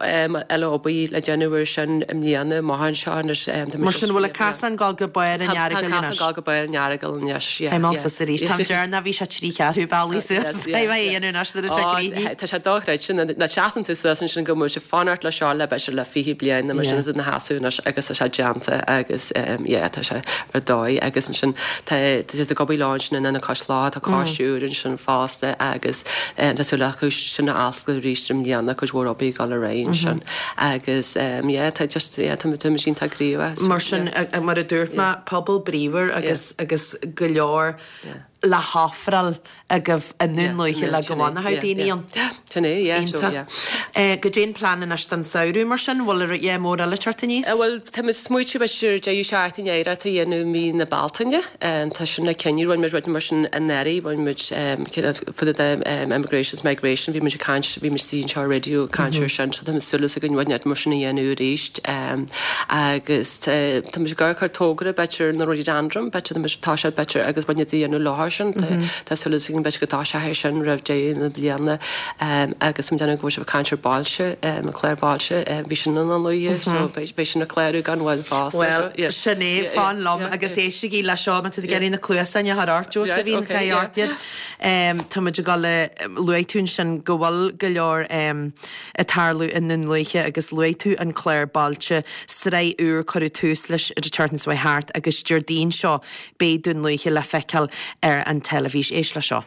eile obair le déanamh ar sin i mbliana, amach anseo anois. Tá Mar sin, bhfuil an casán ag dul go barr an Tá an Earagail casán anois? ag dul go barr an Earagail anois, yeah, Tá mé yeah. suas arís, tá an deireanach bhí sé 3 cheathrú bealaigh suas, caithfidh mé a dhéanamh anois nuair atá sé críochnaithe. Tá sé dochreidte, nuair a seasann tú suas ansin go bhfuil sé fanacht le seo le b'fhéidir le 20 bliain nó mar sin ina sheasamh anois agus tá sé déanta agus yeah tá sé ar dóigh agus ansin tá tá siad ag obair leo ansin in Ionad Cois Locha, tá coiste úr ansin fosta agus tá súil acu sin a oscailt arís i mbliana, cuid mhór obair ag dul ar aghaidh ansin agus yeah tá just yeah tá tá muid iontach gníomhach. Mar sin mar a dúirt mé pobal bríomhar agus agus go leor le hofráil agaibh i nDún Lúiche le go bhfanfadh daoine ann. Sin é, yeah, so, Iontach. yeah. Goidé an plean anois don samhradh mar sin? Bhfuil rud mór eile ag teacht aníos? Bhuel, tá muid ag smaoitiú b'fhéidir deireadh seachtaine oidhreachta a dhéanamh mí na Bealtaine. Tá sin le cinneadh. Rinne muid rud mar sin anuraidh, rinne muid fá dtaobh de immigration is migration, bhí muid ag caint, bhí muid istigh anseo ar raidió ag caint ar sin, so tá muid súil againn rud mar sin a dhéanamh arís. Agus tá muid ag amharc ar togra b'fhéidir na rhododendron, b'fhéidir tá muid, tá sé b'fhéidir agus rud a dhéanamh leo sin. Tá súil againn b'fhéidir go dtoiseoidh sé sin roimh deireadh na bliana agus tá muid ag déanamh go bhfuil sibh ag caint ar Bailte, an clár Bailte, bhí sin i nDún Lúiche so beidh sin ag clárú gan mhoill fosta. Bhuel, sin é, fan liom agus éistigí le seo, má tá tú ag iarraidh na cluasáin a chur ort, Josephine, caith ort iad. Tá muid ag dul a, luaigh tú ansin go bhfuil go leor ag tarlú i nDún Lúiche agus luaigh tú an clár Bailte, sraith úr, cuireadh tús leis an tseachtain seo thart agus Déardaoin seo Beidh Dún Lúiche le feiceáil ar an teilifís. Éist le seo.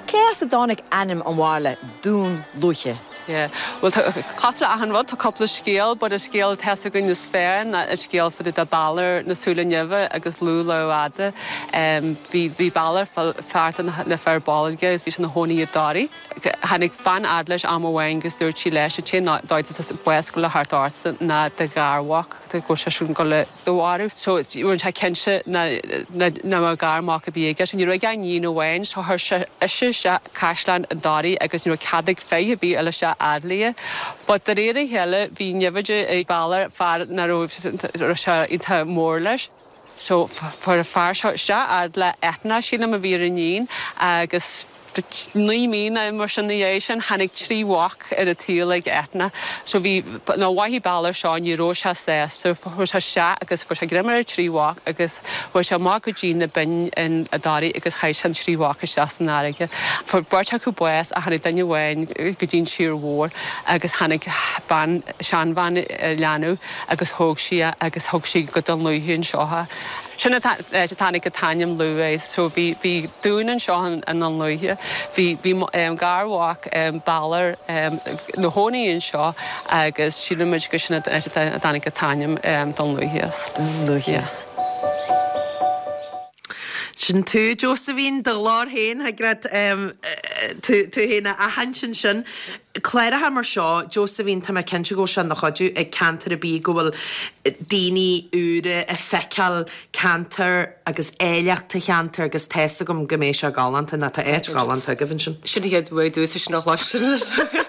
Cé as a dtáinig ainm an bhaile Dún Lúiche? Yeah. Bhuel, tá, cosúil le achan rud, tá cúpla scéal, but an scéal atá fhios againn is fearr ná an scéal fá dtaobh de Balor na Súile Nimhe agus Lugh Lámhfhada. Bhí, bhí Balor, fear de na Fir Bolg agus bhí sé ina chónaí i dToraigh. Tháinig bean fhad leis am amháin agus dúirt sí leis, an t-aon dóigh atá bás ag gabháil a theacht ortsa ná do gharmhac, go bhfuil seisean ag gabháil a do mharú. So rinne sé cinnte nach mbeadh garmhac ar bith aige. So ní raibh aige ach iníon amháin so chuir sé ise isteach caisleán i dToraigh agus ní raibh cead ag fear ar bith a dhul isteach fhad léi. But de réir a chéile bhí naimhde ag Balor, fear nach raibh sé iontach mór leis. So fuair an fear seo isteach fhad le Eithne, sílim a bhí ar an iníon, agus 9 mí nó mar sin ina dhiaidh sin tháinig 3 mhac ar an tsaol ag Eithne. So bhí, nuair a mhothaigh Balor seo ní raibh sé sásta, chuaigh sé isteach agus fuair sé greim ar an 3 mhac agus chuaigh sé amach go dtí na binn in i dToraigh agus chaith sé an 3 mhac isteach san fharraige. Fuair beirt acu bás ach tháinig duine amháin go dtí an tír mhór agus tháinig bean, seanbhean leanbh agus thóg sí é agus thug sí go Dún Lúiche anseo é. Sin an áit a dtáinig an t-ainm Lugh as. So bhí, bhí dún anseo i nDún Lúiche. Bhí, bhí garmhac Balor ina chónaí anseo agus sílimid gur sin an áit a dtáinig an t-ainm Dún Lúiche as. Dún Lúiche. Yeah. Sin tú, Josephine, do ghlór féin, thig leat tú féin a aithint ansin. Cláracha mar seo, Josephine, tá mé cinnte go bhfuil sé ina chuidiú ag ceantar ar bith go bhfuil daoine úra ag feiceáil ceantar agus áilleacht an cheantair agus tá's agam go mbeidh sé galánta, nó tá áit ghalánta agaibh ansin. Sin an chéad uair domhsa sin a chloisteáil.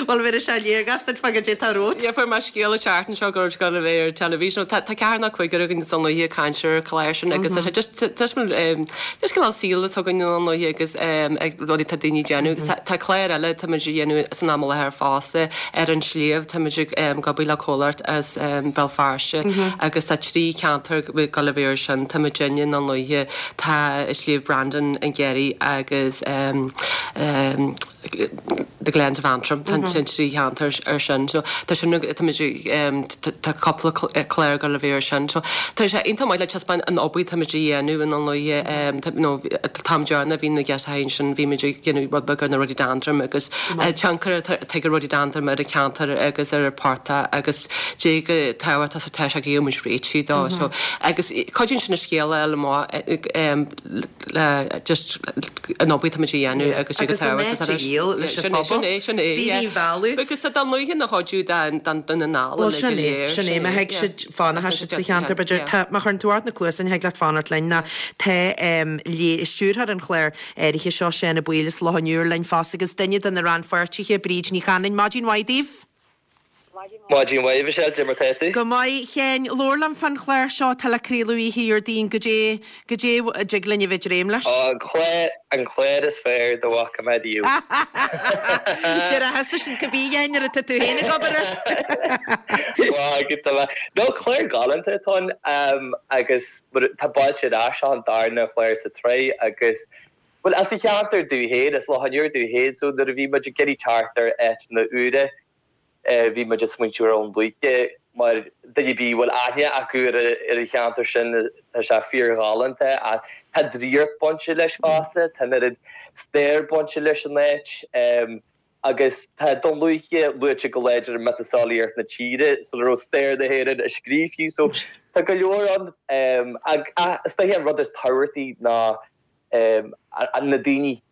Bhuel, bhéarfaidh sé léargas duit fá goidé atá romhat. Yeah, fuair mé scéal an tseachtain seo go raibh sé ag gabháil a bheith ar teilifís. Nó tá ceathrar nó cúigear againn i nDún Lúiche ag caint ar an chlár sin agus tá sé just just just cineál saol atá againn i nDún Lúiche agus ag rudaí atá daoine ag déanamh. Agus tá clár eile tá muid a dhéanamh san am i láthair fosta ar an sliabh. Tá muid ag obair le comhlacht as Béal Feirste agus tá 3 cheantar ag gabháil a bheith air sin. Tá muidinne i nDún Lúiche, tá Sliabh Brandon an Ghearraigh agus. The Glens of Antrim, tá an 3 cheantar ar sin. So tá sin, tá muid ag, tá cúpla clár ag dul a bheith ar sin. So tá sé iontach maith le taispeáint an obair atá muid a dhéanamh i nDún Lúiche, you know, an t-am deireanach bhí na girseachaí ansin, bhí muid ag déanamh rud beag ar na rhododendron agus tionchar atá ag an rhododendron ar an cheantar agus ar an portach agus cé chomh tábhachtach is atá sé go bhfuil muid réitithe dó. So agus cuidíonn sin an scéal a fháil amach le just an obair atá muid a dhéanamh agus Agus an áit a dhíol leis an phobal. Sin é, sin é, yeah. Daoine a mhealladh. Because tá Dún Lúiche ina chuid den Dún na nGall Bhuel sin é, sin é, má thig siad fanacht siad sa cheantar b'fhéidir. Tá, má chuireann tú ort na cluasáin thig leat fanacht linn ná tá stiúrthóir an chláir áirithe seo, Seán Ó Baoill as Loch an Iúir linn fosta agus duine de na rannpháirtithe, Bríd Ní Chanainn. Maidin mhaith daoibh. Maidin mhaith, Michelle, cad é mar tá tú? Go maith, a Sheáin. Labhair liom fán chlár seo atá le craoladh oíche Dhéardaoin. Goidé, goidé a dtig linn a bheith ag dréim leis? Ó, an clár, an clár is fearr dá bhfaca mé riamh. Déarfá sin cibé a Sheáin nuair atá tú féin ag obair air. Maith agat, tá mé. No, clár galánta atá ann agus tá Bailte ar Ais, seo an darna chlár sa tsraith agus, bhuel, as an cheantar domh féin, as Loch an Iúir domh féin, so nuair a bhí muid ag iarraidh teacht ar áiteanna úra, Bhí muid ag smaointiú ar Dhún Lúiche mar duine ar bith a bhfuil aithne acu ar an cheantar sin, tá sé fíorghalánta ach tá draíocht bainte leis fosta, tá an oiread stair bainte leis an áit agus tá Dún Lúiche luaite go láidir i miotaseolaíocht na tíre sula raibh stair na hÉireann á scríobh fiú. So tá go leor ann ach is dóiche an rud is tábhachtaí ná na daoine.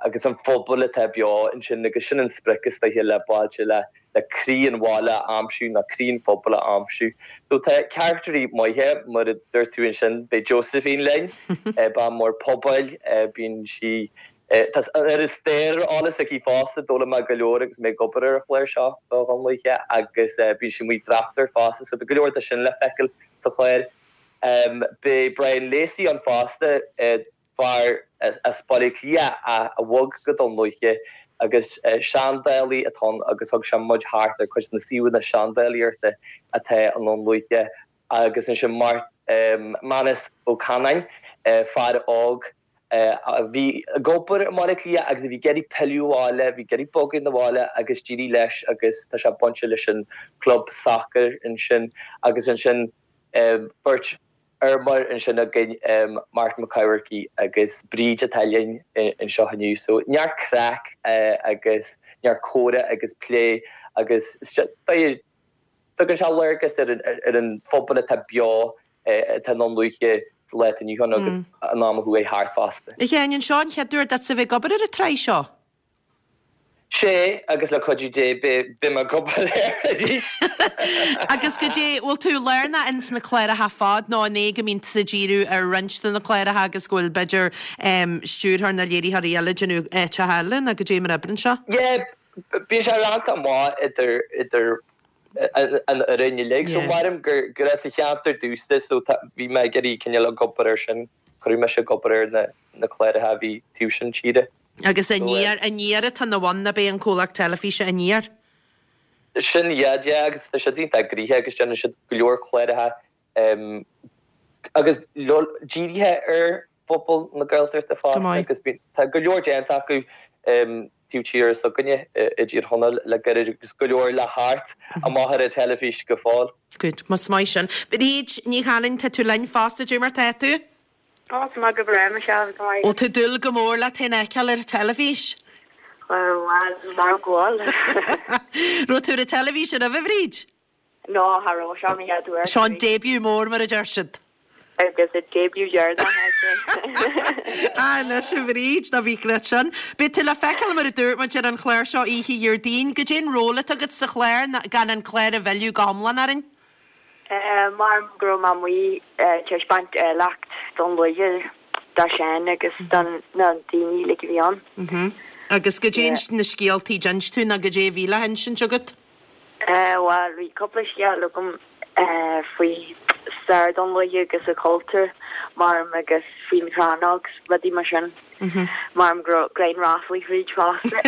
agus an phobal atá beo ansin agus sin an sprioc is dóiche le Bailte le le croí an bhaile a aimsiú nó croí an phobail a aimsiú. So tá caractairí maithe mar a dúirt tú ansin, beidh Josephine linn, bean mór pobail, bíonn sí tá an oiread stair ar eolas aici fosta, d'fhoghlaim mé go leor agus mé ag obair ar an chlár seo do Dhún Lúiche agus bíonn sí amuigh ag tráchtaireacht fosta so tá go leor de sin le feiceáil sa chlár. Beidh Brian Lacey ann fosta, fear as Baile Átha Cliath a bhog go Dún Lúiche agus seandálaí atá ann agus thug sé muid thart ar cuid de na suíomhanna seandálaíochta atá i nDún Lúiche agus ansin Manus Ó Canáin, fear óg a bhí ag obair i mBaile Átha Cliath agus a bhí ag iarraidh pilleadh abhaile, bhí ag iarraidh bogadh 'na bhaile agus d'éirigh leis agus tá sé bainte leis an club sacair ansin agus ansin beirt fheirmeoir ansin againn, Martin Mac Eamharcaigh agus Bríd atá linn anseo inniu. So neart craic agus neart comhrá agus plé agus tugann sé léargas ar an phobal atá beo atá i nDún Lúiche sa lá atá inniu ann agus an am a chuaigh thart fosta. A Sheáin, an seo an chéad uair duit a bheith ag obair ar an tsraith seo? Sé, agus le cuidiú Dé beidh mé ag obair air arís. Agus goidé, bhfuil tú lárnach ins na cláracha ar fad nó an é go mbíonn tusa ag díriú ar roinnt de na cláracha agus go bhfuil b'fhéidir stiúrthóir nó léiritheoirí eile ag déanamh áiteacha eile nó goidé mar a oibríonn sé? Yeah, bíonn sé roinnte amach idir, idir an fhoireann uilig. So maram gur, gur as an cheantar domhsa so tá, bhí mé ag iarraidh cineál ag obair air sin, chuir mise ag obair ar na, na cláracha a bhí taobh sin tíre. Agus Aniar, Aniar atá ina bhun, ab é an comhlacht teilifíse Aniar? Sin iad, yeah, agus tá siad iontach gnoitheach agus déanann siad go leor cláracha agus dírithe ar phobal na Gaeltachta fosta agus tá go leor déanta acu taobh tíre s'againne i dTír Chonaill le gairid agus go leor le theacht amach ar an teilifís go fóill. Good, is maith sin. Bríd Ní Chanainn, tá tú linn fosta, cad é mar tá tú? Tá mé go breá, Michelle, go maith. Bhfuil tú ag dúil go mór leat féin a fheiceáil ar an teilifís? Bhuel, mar go bhfuil. Raibh tú ar an teilifís roimhe, a Bhríd? No, cha raibh, seo mo chéad uair. Seo an debut mór, mar a deir siad. Agus an debut deireanach, I'd say. Ah, anois a Bhríd, ná bí ag sin. Beidh tú le feiceáil mar a dúirt muid ar an chlár seo oíche Dhéardaoin. Goidé an ról atá agat sa chlár, gan an clár a mhilleadh go hiomlán orainn? Mar go raibh mé amuigh ag taispeáint áilleacht Dún Lúiche do Sheán agus do na daoine uilig a bhí ann. Agus goidé na scéaltaí a d'inis tú nó goidé a bhí le hinsint agat? Bhuel, bhí cúpla scéal agam faoi stair Dún Lúiche agus a chultúr, maram agus faoin chrannóg 's rudaí mar sin. Maram go raibh greim ráflaí fríd fosta.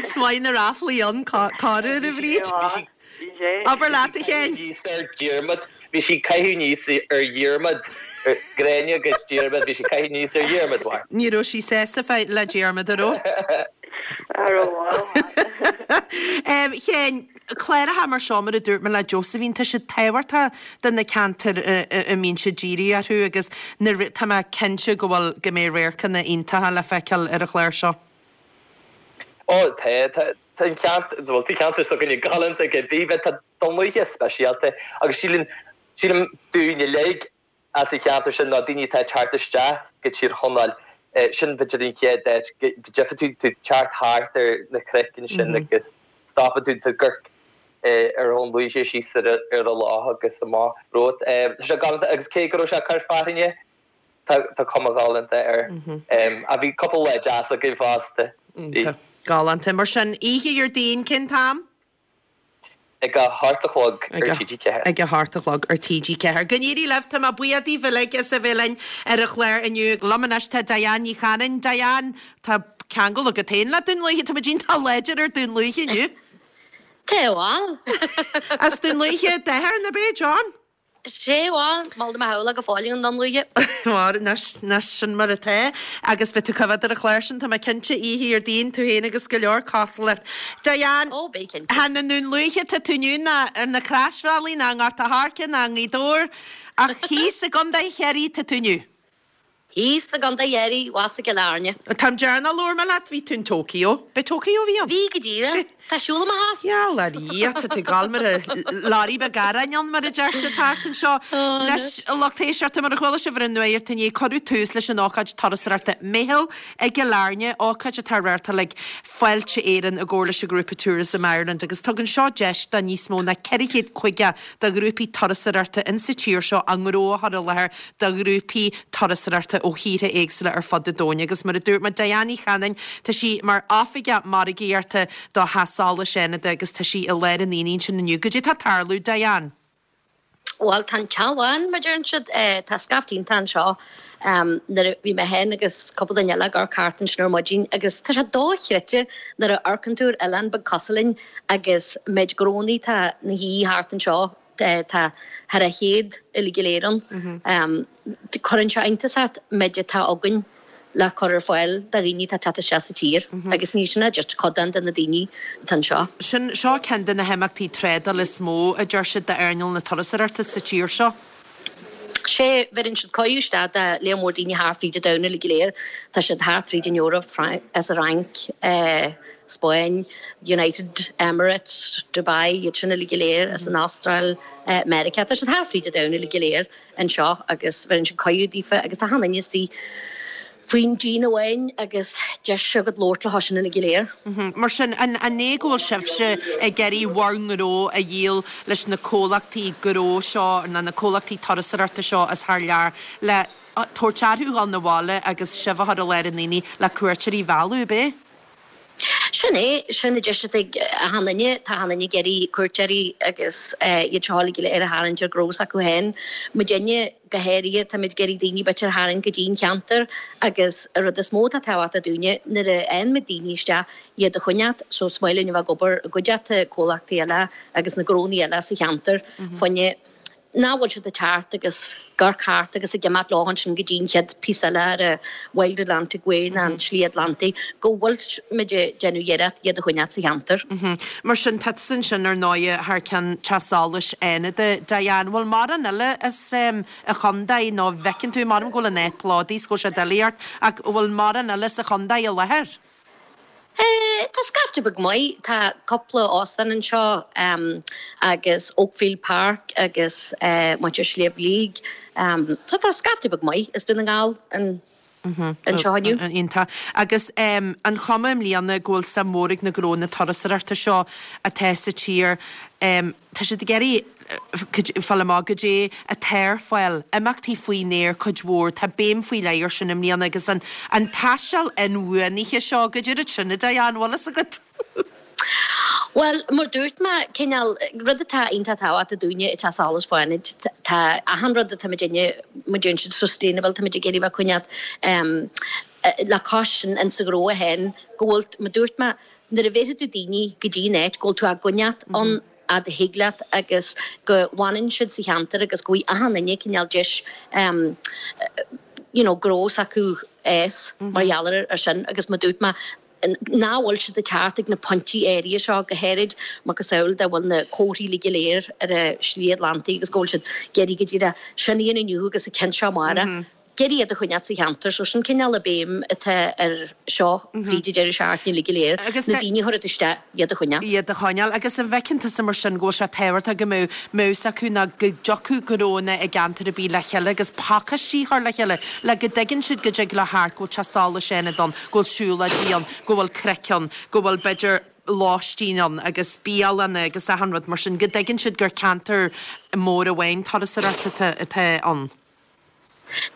Is maith na ráflaí ann, corruair, a Bhríd. Abair leat, a Sheáin. Bhí Sir Diarmaid. Bhí sí ag caitheamh aníos ar Dhiarmaid, Gráinne agus Diarmaid, bhí sí ag caitheamh aníos ar Dhiarmaid, mar. Ní raibh sí sásta le Diarmaid, an raibh? An raibh, A Sheáin, cláracha mar seo, mar a dúirt mé le Josephine, tá siad tábhachtach do na ceantair a mbíonn siad dírithe orthu agus na, tá mé cinnte go bhfuil, go mbeidh radharcanna iontacha le feiceáil ar an chlár seo. Ó, tá, tá, tá an ceantar, bhuel, tá an ceantar s'againne galánta go deo, tá Dún Lúiche speisialta agus sílim, sílim dúinn uilig as an cheantar sin nó daoine atá ag teacht isteach go Tír Chonaill, sin b'fhéidir an chéad áit go dtchífidh tú, tú ag teacht thart ar na cnoic ansin agus stopann tú, tú ag amharc ar Dhún Lúiche síos ar an loch agus amach romhat. Tá sé galánta agus cé go raibh sé ag cur fearthainne, tá cuma ghalánta air. Ach bhí cúpla lá deas againn fosta. Iontach. Galánta. Mar sin, oíche Dhéardaoin, cén t-am? Ag a hocht a chlog ar TG4. Ag a hocht a chlog ar TG4. Go n-éirí libh, tá mé buíoch daoibh uilig as a bheith linn ar an chlár inniu. Liom anois tá Diane Ní Chanainn. Diane, tá ceangal agat féin le Dún Lúiche, tá muid iontach láidir ar Dún Lúiche inniu. Tá, bhuel. As Dún Lúiche d'athair, nó ab é John? Sé, bhuel, mol do mo shamhla go fóill i nDún Lúiche. Mar, anois, anois, sin mar atá. Agus beidh tú ag coimhéad ar an chlár sin, tá mé cinnte, oíche Dhéardaoin, tú féin agus go leor cosúil leat. Diane, Ó, beidh cinnte. Chan i nDún Lúiche atá tú inniu, ná ar na Croisbhealaí, ná i nGort a' Choirce, ná i nGaoth Dobhair, ach thíos i gContae Chiarraí atá tú inniu. Thíos i gContae Chiarraí, abhus i gCill Airne. An t-am deireanach a labhair mé leat, bhí tú in Tokyo. B'é Tokyo a bhí ann? Bhí, go díreach. Tá siúl i mo thost. Gheall ar Dhia, tá tú ag gabháil mar a leoraí beag aráin ann, mar a deir siad thart anseo. Anois, a lucht éisteachta, mar a chuala sibh ar an nuacht inné, cuireadh tús leis an ócáid turasóireachta Meitheal i gCill Airne, ócáid atá á reáchtáil ag Fáilte Éireann i gcomhar leis an ghrúpa Tourism Ireland agus tugann seo deis do níos mó ná 450 de ghrúpaí turasóireachta insa tír seo a ngnó a chur i láthair do ghrúpaí turasóireachta ó thíortha éagsúla ar fud an domhain agus mar a dúirt mé, Diane Ní Chanainn, tá sí mar Oifigeach Margaíochta do Theach Solais Fhánada agus tá sí i lár an aonaigh ansin inniu. Goidé tá ag tarlú, Diane? Bhuel, tá an teach lán, mar a deireann siad. Tá scaifte iontach anseo. Nuair a bhí mé féin agus cúpla duine eile ag amharc thart ansin ar maidin agus tá sé dochreidte nuair a amharcann tú ar oileán beag cosúil linn agus méid gnónnaí atá ina shuí thart anseo. Tá thar a chéad uilig go léir ann. Cuireann sé iontas ort méid atá againn le cur ar fáil do dhaoine atá ag teacht isteach sa tír agus ní sin just codán de na daoine atá anseo. Sin, seo ceann de na himeachtaí trádála is mó, a deir siad, d'earnáil na turasóireachta sa tír seo. Sé, bheireann siad cuireadh isteach do léar mór daoine thart fríd an domhan uilig go léir. Tá siad thart fríd an Eoraip, as an Fhrainc, Spáinn, United Emirates, Dubai, iad sin uilig go léir, as an Astráil, Meiriceá. Tá siad thart fríd an domhan uilig go léir anseo agus bheireann siad cuireadh daofa agus tá achan duine istigh faoin díon amháin agus deis agat labhairt leo sin uilig go léir. Mar sin, an é go bhfuil sibhse ag iarraidh bhur ngnó a dhíol leis na comhlachtaí gnó seo nó na comhlachtaí turasóireachta seo as thar lear le tabhairt orthu dhul 'na bhaile agus sibh a chur i lár an aonaigh le cuairteoirí a mhealladh, ab é? Sin é, sin an deis atá ag achan duine, tá achan duine ag iarraidh cuairteoirí agus iad seo uilig go léir a tharraingt ar gnó s'acu féin. Muidinne, go háirithe, táimid ag iarraidh daoine b'fhéidir a tharraingt go dtí an cheantar agus an rud is mó atá tábhachtach dúinne, nuair a fhaigheann muid daoine isteach, iad a choinneáilt, so is maith linn a bheith ag obair i gcuideachta comhlachtaí eile agus na gnónnaí eile sa cheantar fá choinne nach bhfuil siad ag teacht agus ag amharc thart agus ag imeacht leo ansin go dtí an chéad phíosa eile ar an Wild Atlantic Way nó an tSlí Atlantaigh, go bhfuil muid ag déanamh iarracht iad a choinneáilt sa cheantar. Mar sin, tá tusa ansin ar ndóighe thar ceann Teach Solais Fhánada. Diane, bhfuil mórán eile as an chontae nó an bhfeiceann tú, maram go bhfuil an áit plódaithe is go bhfuil sé doiligh ort, ach bhfuil mórán eile sa chontae i láthair? Tá scaifte beag maith. Tá cúpla óstán anseo agus Oakfield Park agus muintir Shliabh Liag. So tá scaifte beag maith as Dún na nGall anseo inniu. Iontach. Agus an chuma i mbliana go bhfuil suim mhór ag na gnónna turasóireachta seo atá sa tír Tá siad ag iarraidh fáil amach goidé atá ar fáil, imeachtaí faoin aer cuid mhór, tá béim faoi leith air sin i mbliana agus an an taisteal inbhuanaithe seo, goidé an rud sin a Diane, an bhfuil fhios agat? Bhuel, mar dúirt mé, cineál, rud atá iontach tábhachtach dúinne i Teach Solais Fánaid, tá achan rud atá muidinne, mar deireann siad sustainable, tá muid ag iarraidh bheith ag coinneáilt le cois sin insa ghnó féin, go bhfuil, mar dúirt mé, nuair a bhéarfaidh tú daoine go dtí an áit go bhfuil tú á gcoinneáilt ann. fhad a thig leat agus go bhfanann siad sa cheantar agus go bhfaighidh achan duine cineál deis you know gnó s'acu fhás mar gheall ar sin agus mar dúirt mé nach bhfuil siad ag teacht ag na pointí áirithe seo go háirid macasamhail dá bhfuil na comharthaí uilig go léir ar an Slí Atlantaigh agus go bhfuil siad ag iarraidh go díreach sin a dhéanamh inniu agus an ceann seo amárach. Ag iarraidh iad a choinneáil sa cheantar so sin cineál an béim atá ar seo fríd an deireadh seachtaine uilig go léir, na daoine a thabhairt isteach, iad a choinneáil. iad a choinneáil. Agus an bhfeiceann tusa mar sin go bhfuil sé tábhachtach go mbeadh mbeadh fhios acu ná go dtiocfadh gnóanna i gceantar ar bith le chéile agus pacáistí a chur le chéile le go dtuigeann siad go dtig leo theacht, go bhfuil teach solais Fhánada ann, go bhfuil siúlóidí ann, go bhfuil craic ann, go bhfuil b'fhéidir lóistín ann agus bialanna agus achan rud mar sin, go dtuigeann siad gur ceantar mór amháin turasóireachta atá ann.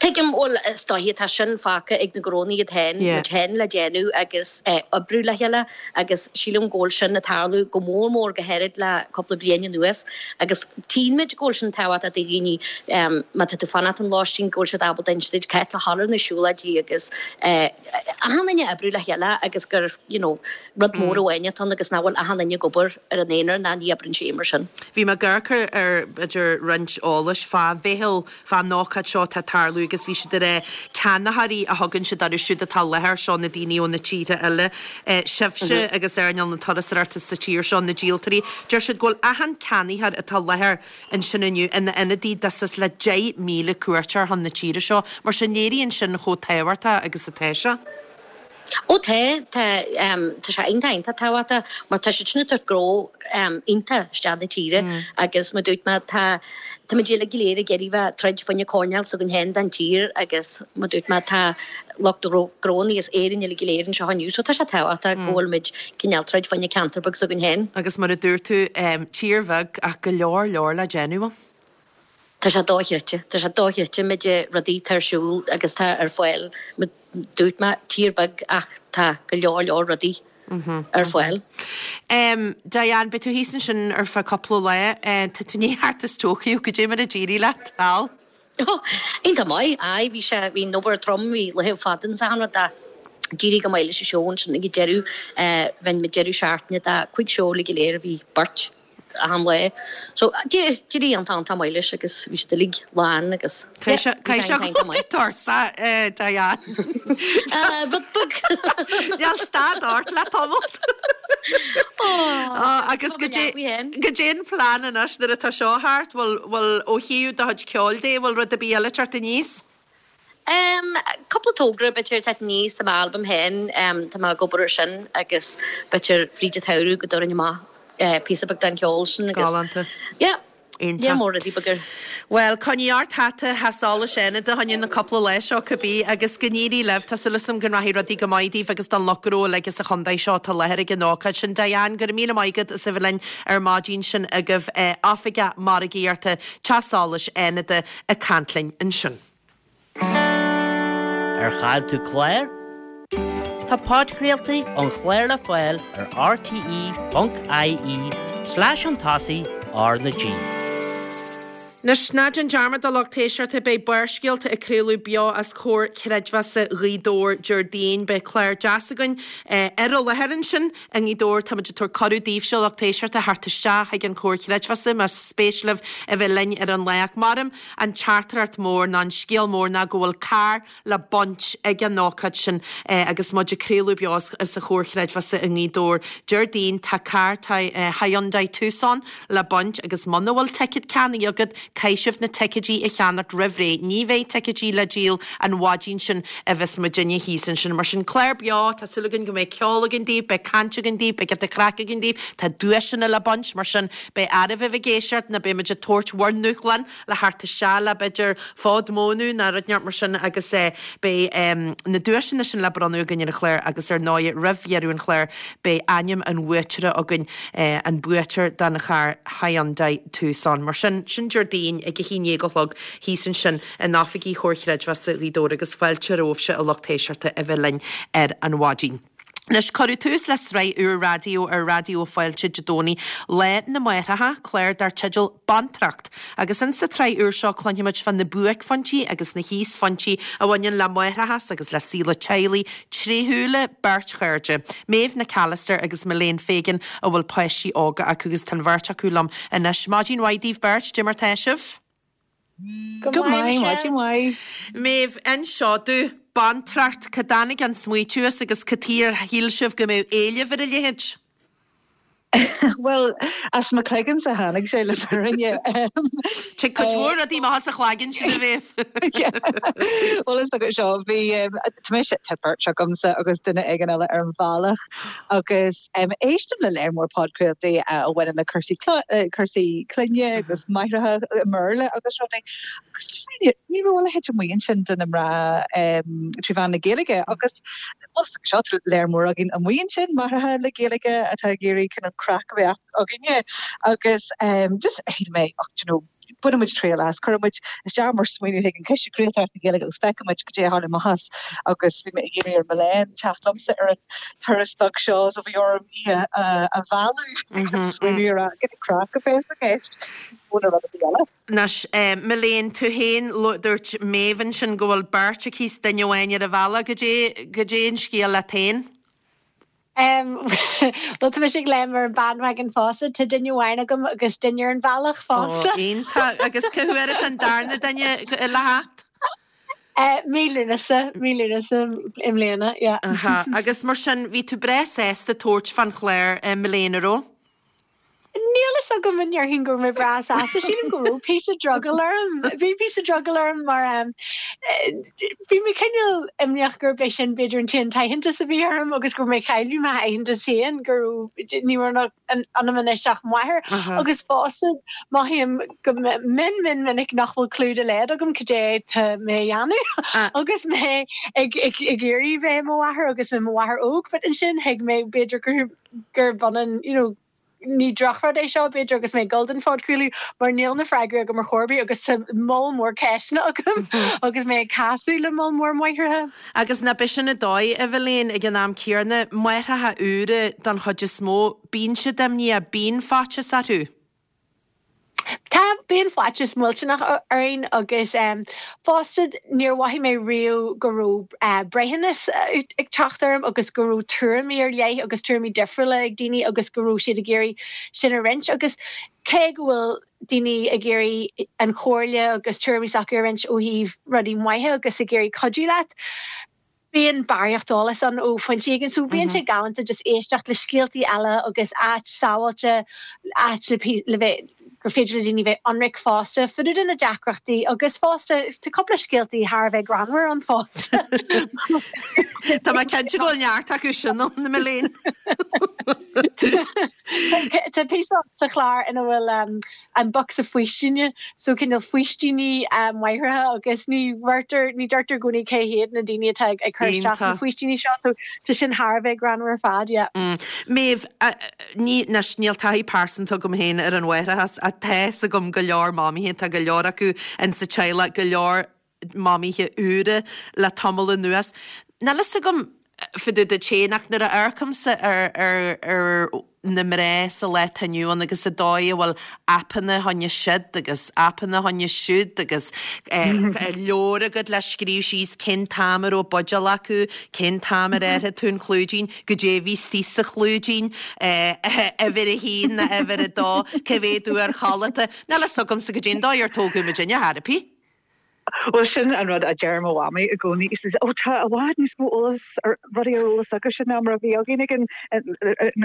Tuigim, bhuel, is dóiche, tá sin fágtha ag na gnónna iad féin, muid féin le déanamh agus oibriú le chéile agus sílim go bhfuil sin ag tarlú go mór mór go háirid le cúpla bliain anuas agus tchíonn muid go bhfuil sin tábhachtach do dhaoine má tá tú fanacht in lóistín go bhfuil siad ábalta inse duit cá háit le dhul ar na siúlóidí agus achan duine oibriú le chéile agus gur, you know, rud mór amháin atá ann agus nach bhfuil achan duine ag obair ar an aonar ná ní oibreann sé mar sin. Bhí mé ag amharc ar b'fhéidir roinnt eolais fá mheitheal, fán ócáid seo atá ag tarlú agus bhí siad ag rá ceannaitheoirí a thugann siad orthu siúd atá i láthair, seo na daoine ó na tíortha eile, sibhse agus earnáil na turasóireachta sa tír seo, na díoltóirí. Deir siad go bhfuil achan ceannaitheoir atá i láthair ansin inniu ina ionadaí do suas le 10,000 cuairteoir chun na tíre seo. Mar sin léiríonn sin chomh tábhachtach agus atá sé. Ó tá, tá, tá sé iontach, iontach tábhachtach mar tá siad sin ag tabhairt gnó iontach isteach na tíre agus mar dúirt mé tá, tá muid uilig go léir ag iarraidh bheith troid fá choinne coirnéal s'againn féin den tír agus mar dúirt mé tá lucht gnónna as Éirinn uilig go léir anseo inniu so tá sé tábhachtach go bhfuil muid cineál troid fá choinne ceantar beag s'againn féin. Agus mar a dúirt tú, tír bheag ach go leor leor le déanamh ann. Tá sé dochreidte. Tá sé dochreidte an méid rudaí atá ar siúl agus tá ar fáil. Mar dúirt mé, tír beag ach tá go leor leor rudaí ar fáil. Diane, beidh tú thíos ansin ar feadh cúpla lá. Tá tú i ndiaidh theacht as Tokyo, goidé mar a d'éirigh leat thall? Iontach maith, aye, bhí sé, bhí an obair trom, bhí laethe fada agus achan rud ach d'éirigh go maith leis an seó ansin ag an deireadh. Bhain muid deireadh seachtaine de chúig seó uilig go léir, bhí beirt. achan lá. So, d'éirigh iontach iontach maith leis agus bhí siad uilig lán agus yeah, bhí sé iontach iontach maith. Tuirseach, Diane. Rud beag. Níl stad ort le tamall. Agus goidé an plean anois nuair atá seo thart, bhfuil, bhfuil ó thaobh do chuid ceoil de, bhfuil rud ar bith eile ag teacht aníos? Em, cúpla togra b'fhéidir ag teacht aníos, tá m'albam féin, em, tá mé ag obair ar sin agus b'fhéidir fríd an tsamhradh go dtabharfainn amach eh píosa beag den cheol sin agus Galánta. yeah, Iontach. yeah mór rudaí beaga. Bhuel, coinnigh ort hata Theach Solais Fhánada fá choinne na cúpla lá seo cibé agus go n-éirí libh. Tá súil agam go rachaidh rudaí go maith daoibh agus don lucht gnó uilig sa chontae seo atá i láthair ag an ócáid sin. Diane, go raibh míle maith agat as a bheith linn ar maidin sin agaibh. Oifigeach Margaíochta Teach Solais Fhánada. ag caint linn ansin. Ar chaill tú clár? Tá podchraoltaí an chláir le fáil ar rte.ie slash chun tosaigh R na G. Anois, ná déan dearmad a lucht éisteachta, beidh Barrscéalta ag craoladh beo as Comhar Creidmheasa Ghaoth Dobhair Déardaoin. Beidh clár deas againn ar an láthair ansin. I nGaoth Dobhair, táimid ag tabhairt cuireadh daoibhse, a lucht éisteachta, theacht isteach chuig an Chomhar Creidmheasa más spéis libh a bheith linn ar an lá. Ach maram an teachtaireacht mór ná an scéal mór ná go bhfuil carr le baint ag an ócáid sin agus muid ag craoladh beo as an Chomhar Chreidmheasa i nGaoth Dobhair Déardaoin. Tá carr Hyundai Tucson le baint agus muna bhfuil ticéad ceannaithe agat, Caithfidh sibh na ticéidí a cheannacht roimh ré. Ní bheidh ticéidí le díol an mhaidin sin a bheas muidinne thíos ansin. Mar sin, clár beo, tá súil againn go mbeidh ceol againn daoibh, beidh caint againn daoibh, beidh giota craic againn daoibh, tá duaiseanna le baint, mar sin beidh oraibh a bheith ag éisteacht nó beidh muid ag tabhairt bhur ndúshlán le theacht isteach le b'fhéidir fód mónadh nó rud inteacht mar sin agus beidh na duaiseanna sin le bronnadh againn ar an chlár agus ar ndóigh roimh dheireadh an chláir beidh ainm an bhuaiteora againn. an buaiteoir don charr Hyundai Tucson. Mar sin, sin Déardaoin ag a haon déag a chlog thíos ansin in oifigí Chomhar Chreidmheasa Ghaoth Dobhair agus fáilte romhaibhse a lucht éisteachta a bheith linn ar an mhaidin. Anois, cuireadh tús le sraith úr raidió ar Raidió Fáilte Dé Domhnaigh, Lá na Máithreacha, clár dar teideal Bantracht. Agus insa tsraith úr seo cluinfimid fá na buaicphointí agus na híosphointí a bhaineann le máithreachas agus le saol an teaghlaigh tré shúile beirt chairde, Méabh Nic Allister agus Milène Fegan a bhfuil páistí óga acu agus tá an bheirt acu liom anois. Maidin mhaith daoibh beirt, dé mar tá sibh? Go maith, maidin mhaith. Méabh, inis domh, Bantracht, cá dtáinig an smaoitiú as agus cad chuige ar shíl sibh go mbeadh éileamh ar a leithéid? Bhuel, as mo chloigeannsa a tháinig sé le fírinne. Tig cuid mhór rudaí amach as an chloigeann sin, a Mhéabh. Bhuel, is agat seo, bhí, tá mise, tá beirt agamsa agus duine éigin eile ar an bhealach agus, Éistim le léar mór podchraoltaí a bhaineann le cúrsaí cúrsaí clainne agus máithreacha i mBéarla agus rudaí agus ní raibh a leithéid amuigh ansin do na mná trí mheán na Gaeilge agus seo tá léar mór againn amuigh ansin, máithreacha le Gaeilge atá ag iarraidh cineál craic a bheith againne agus just shíl mé ach do you know bainfidh muid triail as, cuirfidh muid isteach mar smaoineamh chuig an Coiste Craoltóireachta na Gaeilge agus feicfidh muid cad é a tharlaíonn amach as agus bhí mé ag iarraidh ar Milène teacht liomsa ar an turas beag seo so bhí orm í a mhealladh agus smaoineamh ar a get craic a bheas i gceist mó ná rud ar bith eile. Anois, Milène, tú féin, dúirt Méabh ansin go bhfuil beirt aici 's duine amháin ar an bhealach, cad é, cad é an scéal leat féin? Bhuel, tá mise ag léim ar an bandwagon fosta. Tá duine amháin agam agus duine ar an bhealach fosta. Ó, iontach. Agus cá huair atá an darna duine le theacht? Mí Lúnasa, mí Lúnasa i mbliana, yeah. Aha. Agus mar sin, bhí tú breá sásta tabhairt fán chlár, Milène, an raibh? Níl fhios agam an ndéarfainn go raibh mé breá sásta. Sílim go raibh píosa drogall orm. Bhí píosa drogall orm mar bhí mé cineál imníoch gurb é sin b'fhéidir an t-aon t-aitheantas a bhí orm agus go raibh mé ag cailleadh m'aitheantas féin go raibh ní raibh ionam anois ach máthair. Agus fosta mothaím go mion mion minic nach bhfuil clue dá laghad agam cad é tá mé a dhéanamh agus mé ag ag iarraidh bheith i mo mháthair agus i mo mháthair óg. But ansin thuig mé b'fhéidir gur gurb ionann you know Ní drochrud é seo, b'fhéidir, agus mé ag dul don phodchraoladh, mar níl na freagraí agam ar chor ar bith agus tá moll mór ceisteanna agam agus mé ag casadh le moll mór máithreacha. Agus nach b'shin an dóigh, a Mhilène, ag an am céanna, máithreacha úra don chuid is mó, bíonn siad imníoch, bíonn faitíos orthu. Tá, bíonn faitíos millteanach orainn agus fosta níor mhothaigh mé riamh go raibh breithiúnas ag teacht orm agus go raibh tuairimí ar leith agus tuairimí difriúla ag daoine agus go raibh siad ag iarraidh sin a roinnt agus cé go bhfuil daoine ag iarraidh an chomhairle agus tuairimí s'acu a roinnt ó thaobh rudaí maithe agus ag iarraidh cuidiú leat, Bíonn barraíocht eolais ann ó phointí éigin so bíonn sé galánta just éisteacht le scéaltaí eile agus áit sábháilte, áit le le bheith, gur féidir le daoine bheith ionraic fosta fá dtaobh de na deacrachtaí agus fosta tá cúpla scéaltaí thar a bheith greannmhar ann fosta. Tá mé cinnte go bhfuil neart acu sin ann, a Mhilène. Tá píosa sa chlár ina bhfuil an bocsa faoistine, so cineál faoistíní máithreacha agus ní bheirtear, ní deirtear i gcónaí cé hiad na daoine atá ag cur isteach na faoistíní seo, so tá sin thar a bheith greannmhar ar fad, yeah. Méabh, ní, anois, níl taithí pearsanta agam féin ar an mháithreachas ach tá fhios agam go leor mamaithe, tá go leor acu in sa teaghlach, go leor mamaithe úra le tamall anuas. Níl fhios agam fá dtaobh duit féin ach nuair a amharcaimse ar ar ar na mná sa lá atá inniu ann agus an dóigh a bhfuil aipeanna fá choinne siod agus aipeanna fá choinne siúd agus leabhar agat le scríobh síos cén t-am a raibh buidéal acu, cén t-am ar athraigh tú an clúidín, goidé a bhí istigh sa chlúidín, uimhir a haon nó uimhir a dó, cá mhéad uair chodlata. Níl fhios agamsa goidé an dóigh ar tógadh muidinne, therapy. Bhuel, sin an rud a deir mo mhamaí i gcónaí. She says, oh, tá i bhfad níos mó eolas ar rudaí ar eolas agaibhse ná mar a bhí againn ag an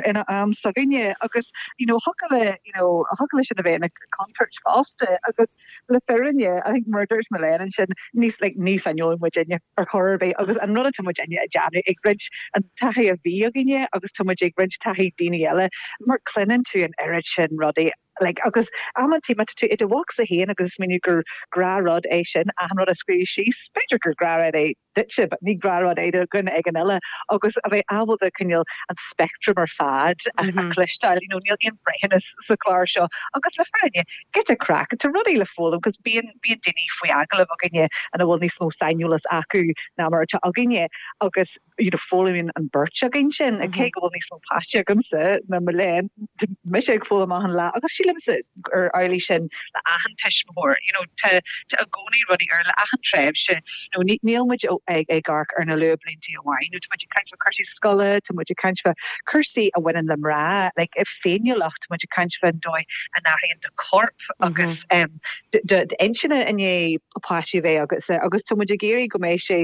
ina am s'againne. Agus, you know, thiocfadh le, you know, thiocfadh le sin a bheith ina contúirt fosta. Agus le fírinne, I think mar a dúirt Milène ansin, ní, like, ní saineolaí muidinne ar chor ar bith. Agus an rud atá muidinne ag déanamh, ag roinnt an taithí a bhí againne agus tá muid ag roinnt taithí daoine eile, mar cluineann tú an oiread sin rudaí. Like, agus amantaí má tá tú i do bhocsa féin agus ag smaoineamh gur gnáthrud é sin, achan rud a scríobh síos, b'fhéidir gur gnáthrud é duitse, but ní gnáthrud é do dhuine éigin eile agus a bheith ábalta cineál an speictream ar fad a chloisteáil, you know, níl aon breithiúnas sa chlár seo agus le fírinne, giota craic, tá rudaí le foghlaim cos bíonn, bíonn daoine faoi agallamh againne ina bhfuil níos mó saineolas acu ná mar atá againne agus you know, foghlaimíonn an bheirt againn sin, cé go bhfuil níos mó páistí agamsa ná Milène, tá mise ag foghlaim achan lá agus sílimse gur amhlaidh sin le achan tuismitheoir, you know, tá tá i gcónaí rudaí ar le achan tréimhse, you know, ní níl muid ag ag amharc ar na luathbhlianta amháin, nó tá muid ag caint fá cúrsaí scoile, tá muid ag caint fá cúrsaí a bhaineann le mná, like féiniúlacht, tá muid ag caint fán dóigh a n-athraíonn do chorp agus um, d'intinne i ndiaidh páistí a bheith agatsa agus tá muid ag iarraidh go mbeidh sé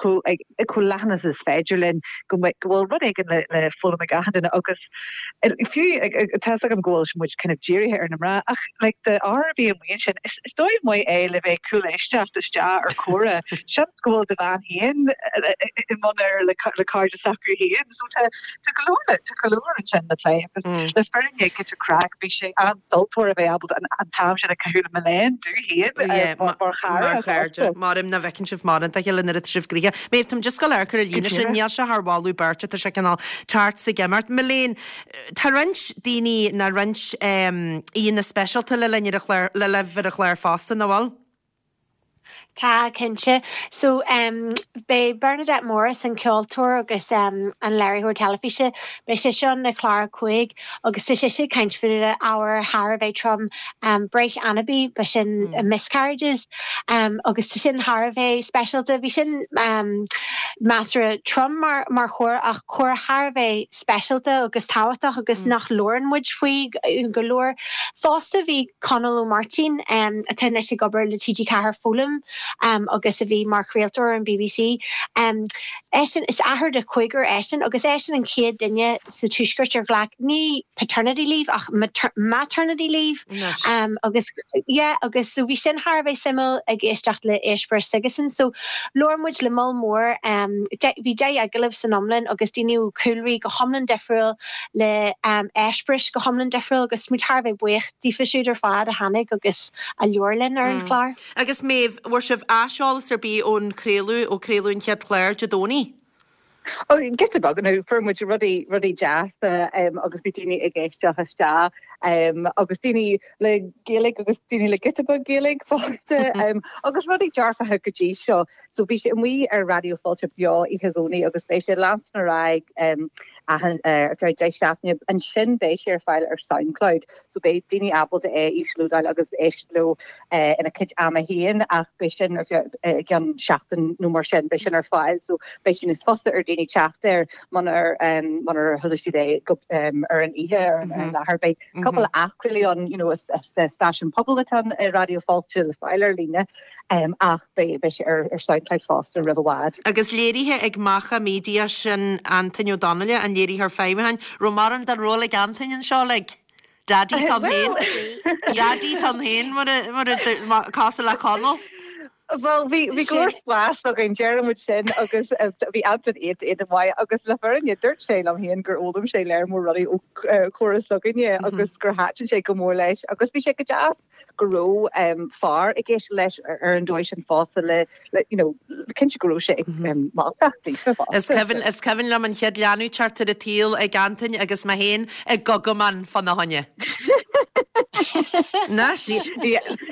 chomh ag chomh leathan agus is féidir linn go mbeidh, go bhfuil rud éigin le, le foghlaim ag achan duine agus fiú tá 'fhios agam go bhfuil muid kind of dírithe ar na mná ach like do fhear ar bith amuigh ansin is, is dóigh maith é le bheith ag cúléisteacht isteach ar chomhrá, seans go bhfuil do bhean féin i mbun air le, le cairde s'acu féin so tá, tá go leor le, tá go leor ansin le plé agus le fírinne giota craic bhí sé an-sultmhar a bheith ábalta an, an t-am sin a chaitheamh le Milène dom féin mar chara. Mar chairde. Maram nach bhfeiceann sibh mórán dá chéile nuair atá sibh gnoitheach. Méabh, táim just ag gabháil a amharc ar an líne sin, níl sé thar mholadh beirte, tá sé cineál teacht 's ag imeacht. Milène, tá roinnt daoine ná roinnt aíonna speisialta le linn ar an chlár, le libh ar an chlár fosta, nach bhfuil? Tá, cinnte. So, beidh Bernadette Morris, an ceoltóir agus an léiritheoir teilifíse, beidh sise ann i clár a 5 agus tá sise ag caint faoi ábhar thar a bheith trom, breith anabaí, b'shin miscarriages, agus tá sin thar a bheith speisialta. Bhí sin measartha trom mar chomhrá ach comhrá thar a bheith speisialta agus tábhachtach agus nach labhrann muid faoi go leor. Fosta bhí Conall Ó Máirtín, atá anois ag obair le TG4 Foghlaim agus a bhí mar chraoltóir ar an bbc. Eisean, is athair de chúigear eisean agus eisean an chéad duine sa Tuaisceart ar ghlac ní paternity leave ach maternity leave agus yeah agus so bhí sin thar a bheith suimiúil ag éisteacht le eispéireas s'aigesean. So labhair muid le moll mór, bhí 10 agallamh san iomlán agus daoine ó chúlraí go hiomlán difriúil, le eispéiris go hiomlán difriúil agus muid thar a bheith buíoch daofa siúd ar fad a tháinig agus a labhair linn ar an chlár. Agus Méabh, bhfuair sibh aiseolas ar bith ón chraoladh, ó craoladh an chéad chlár Dé Domhnaigh? Ó, giota beag, nó fuair muid rudaí, rudaí deasa agus bhí daoine ag éisteacht isteach agus daoine le Gaeilge agus daoine le giota beag Gaeilge fosta agus rudaí dearfacha go dtí seo. So bhí sé amuigh ar Raidió Fáilte beo oíche Dhomhnaigh agus beidh sé ag leanstan ar aghaidh achan, ar feadh 10 seachtaine. Ansin beidh sé ar fáil ar Soundcloud so beidh daoine ábalta é a íoslódáil agus éisteacht leo ina gcuid ama féin ach beidh sin ar feadh i gceann seachtain nó mar sin beidh sin ar fáil so beidh sé níos fusa ar daoine teacht air munar munar chuala siad é go ar an oíche ar an láthair. Beidh cúpla athchraoladh ann you know is stáisiún pobail atá ann i Raidió Fáilte le fáil ar líne ach beidh sé ar Soundcloud fosta roimh i bhfad. Agus léirithe ag Macha Media sin Antain Ó Donnaile, an léiritheoir feidhmiúcháin. Raibh mórán den ról ag Antain anseo like? Daddy tá ann féin. Daddy tá ann féin mar a mar a cosúil le Conall. Bhuel, bhí bhí go leor spás againn, deireann muid sin agus bhí Antain iontach iontach maith agus le fírinne dúirt sé liom féin gur fhoghlaim sé léar mór rudaí ó chomhrá s'againne agus gur thaitin sé go mór leis agus bhí sé go deas go raibh fear ag éisteacht leis ar an dóigh sin fosta le you know cinnte go raibh sé ag moltacht daofa fosta. Is cuimhin is cuimhin liom an chéad leanbh teacht ar an tsaol ag Antain agus mé féin ag gogamán fána choinne. Anois,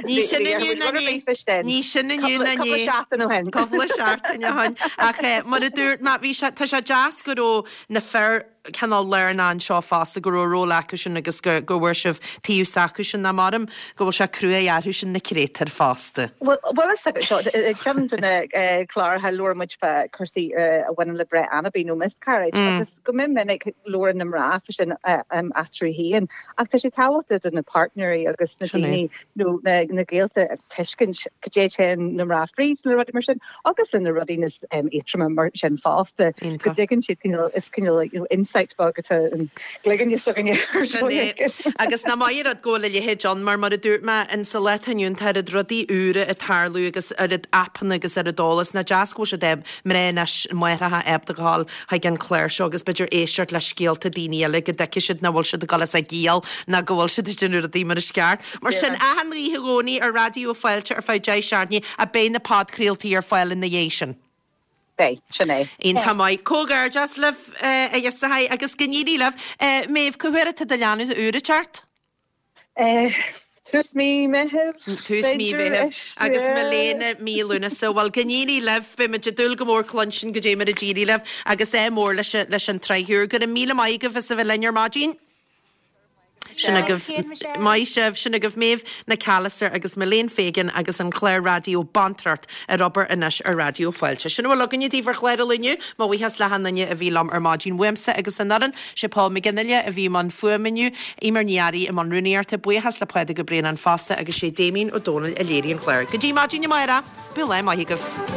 ní sin inniu ná inné. Ní sin inniu ná inné. Cúpla seachtain ó shin. Cúpla seachtain ó shin. Ach mar a dúirt mé, bhí sé, tá sé deas go raibh na fir cineál lárnach anseo fosta, go raibh ról acusan agus go bhfuair sibh taobh s'acusan ná maram go bhfuil sé cruaidh orthusan na créatúir fosta. Bhuel, is seo ceann de na cláracha labhair muid fá cúrsaí a bhaineann le breith anabaí nó miscarriage agus go mion minic labhrann na mná fá sin eatarthu féin ach tá sé tábhachtach do na páirtnéirí agus na daoine nó na gaolta tuiscint cad é téann na mná fríd le rudaí mar sin. Agus le na rudaí níos éadroime mar sin fosta, go dtuigeann siad cineál, is cineál you know insight. Site beag atá i gcloigeann s'againne ar Sin dóigh é. éigin. Agus nach maith an rud go bhfuil a leithéid ann mar mar a dúirt mé, in sa lá atá inniu ann tá oiread rudaí úra ag tarlú agus oiread aipeanna agus oiread eolas. Nach deas go bhfuil siad eh, mná anois, máithreacha ábalta gabháil chuig an chlár seo agus b'fhéidir éisteacht le scéalta daoine eile go dtuigfidh siad nach bhfuil siad ag dul as a gciall ná go bhfuil siad ag déanamh rudaí mar is ceart. Mar sin, achan oíche Dhomhnaigh ar Raidió Fáilte ar feadh 10 seachtainí ach beidh na podchraoltaí ar fáil ina dhiaidh sin. Beidh, sin é. Iontach maith. Comhghairdeas libh, a ghiosachai, agus go n-éirí libh. Méabh, cá huair atá do leanbh úr ag teacht? Tús mí Meithimh, Tús mí b'fhéidir. Mheithimh agus Milena mí Lúnasa. Bhuel, go n-éirí libh. Beidh muid ag dúil go mór cluinstin goidé mar a d'éirigh libh agus ádh mór leis leis an tsraith úr. Go raibh míle maith agaibh as a bheith linn ar maidin. Sin agaibh, maith sibh, sin agaibh Méabh Nic Alastair agus Milene Fegan agus an clár raidió Bantracht ar obair anois ar Raidió Fáilte. Sin a bhfuil againne daoibh ar chlár an lae inniu. Mo bhuíochas le hachan duine a bhí liom ar maidin uaimse agus an fhoireann. Sé Paul McGinley a bhí i mbun fuaime inniu, Eimear Ní Fhearraigh i mbun rúnaíochta, buíochas le Pádraig Ó Braonáin fosta agus sé Damien Ó Dónaill a léirigh an clár. Go dtí maidin amárach, bíodh lá maith agaibh.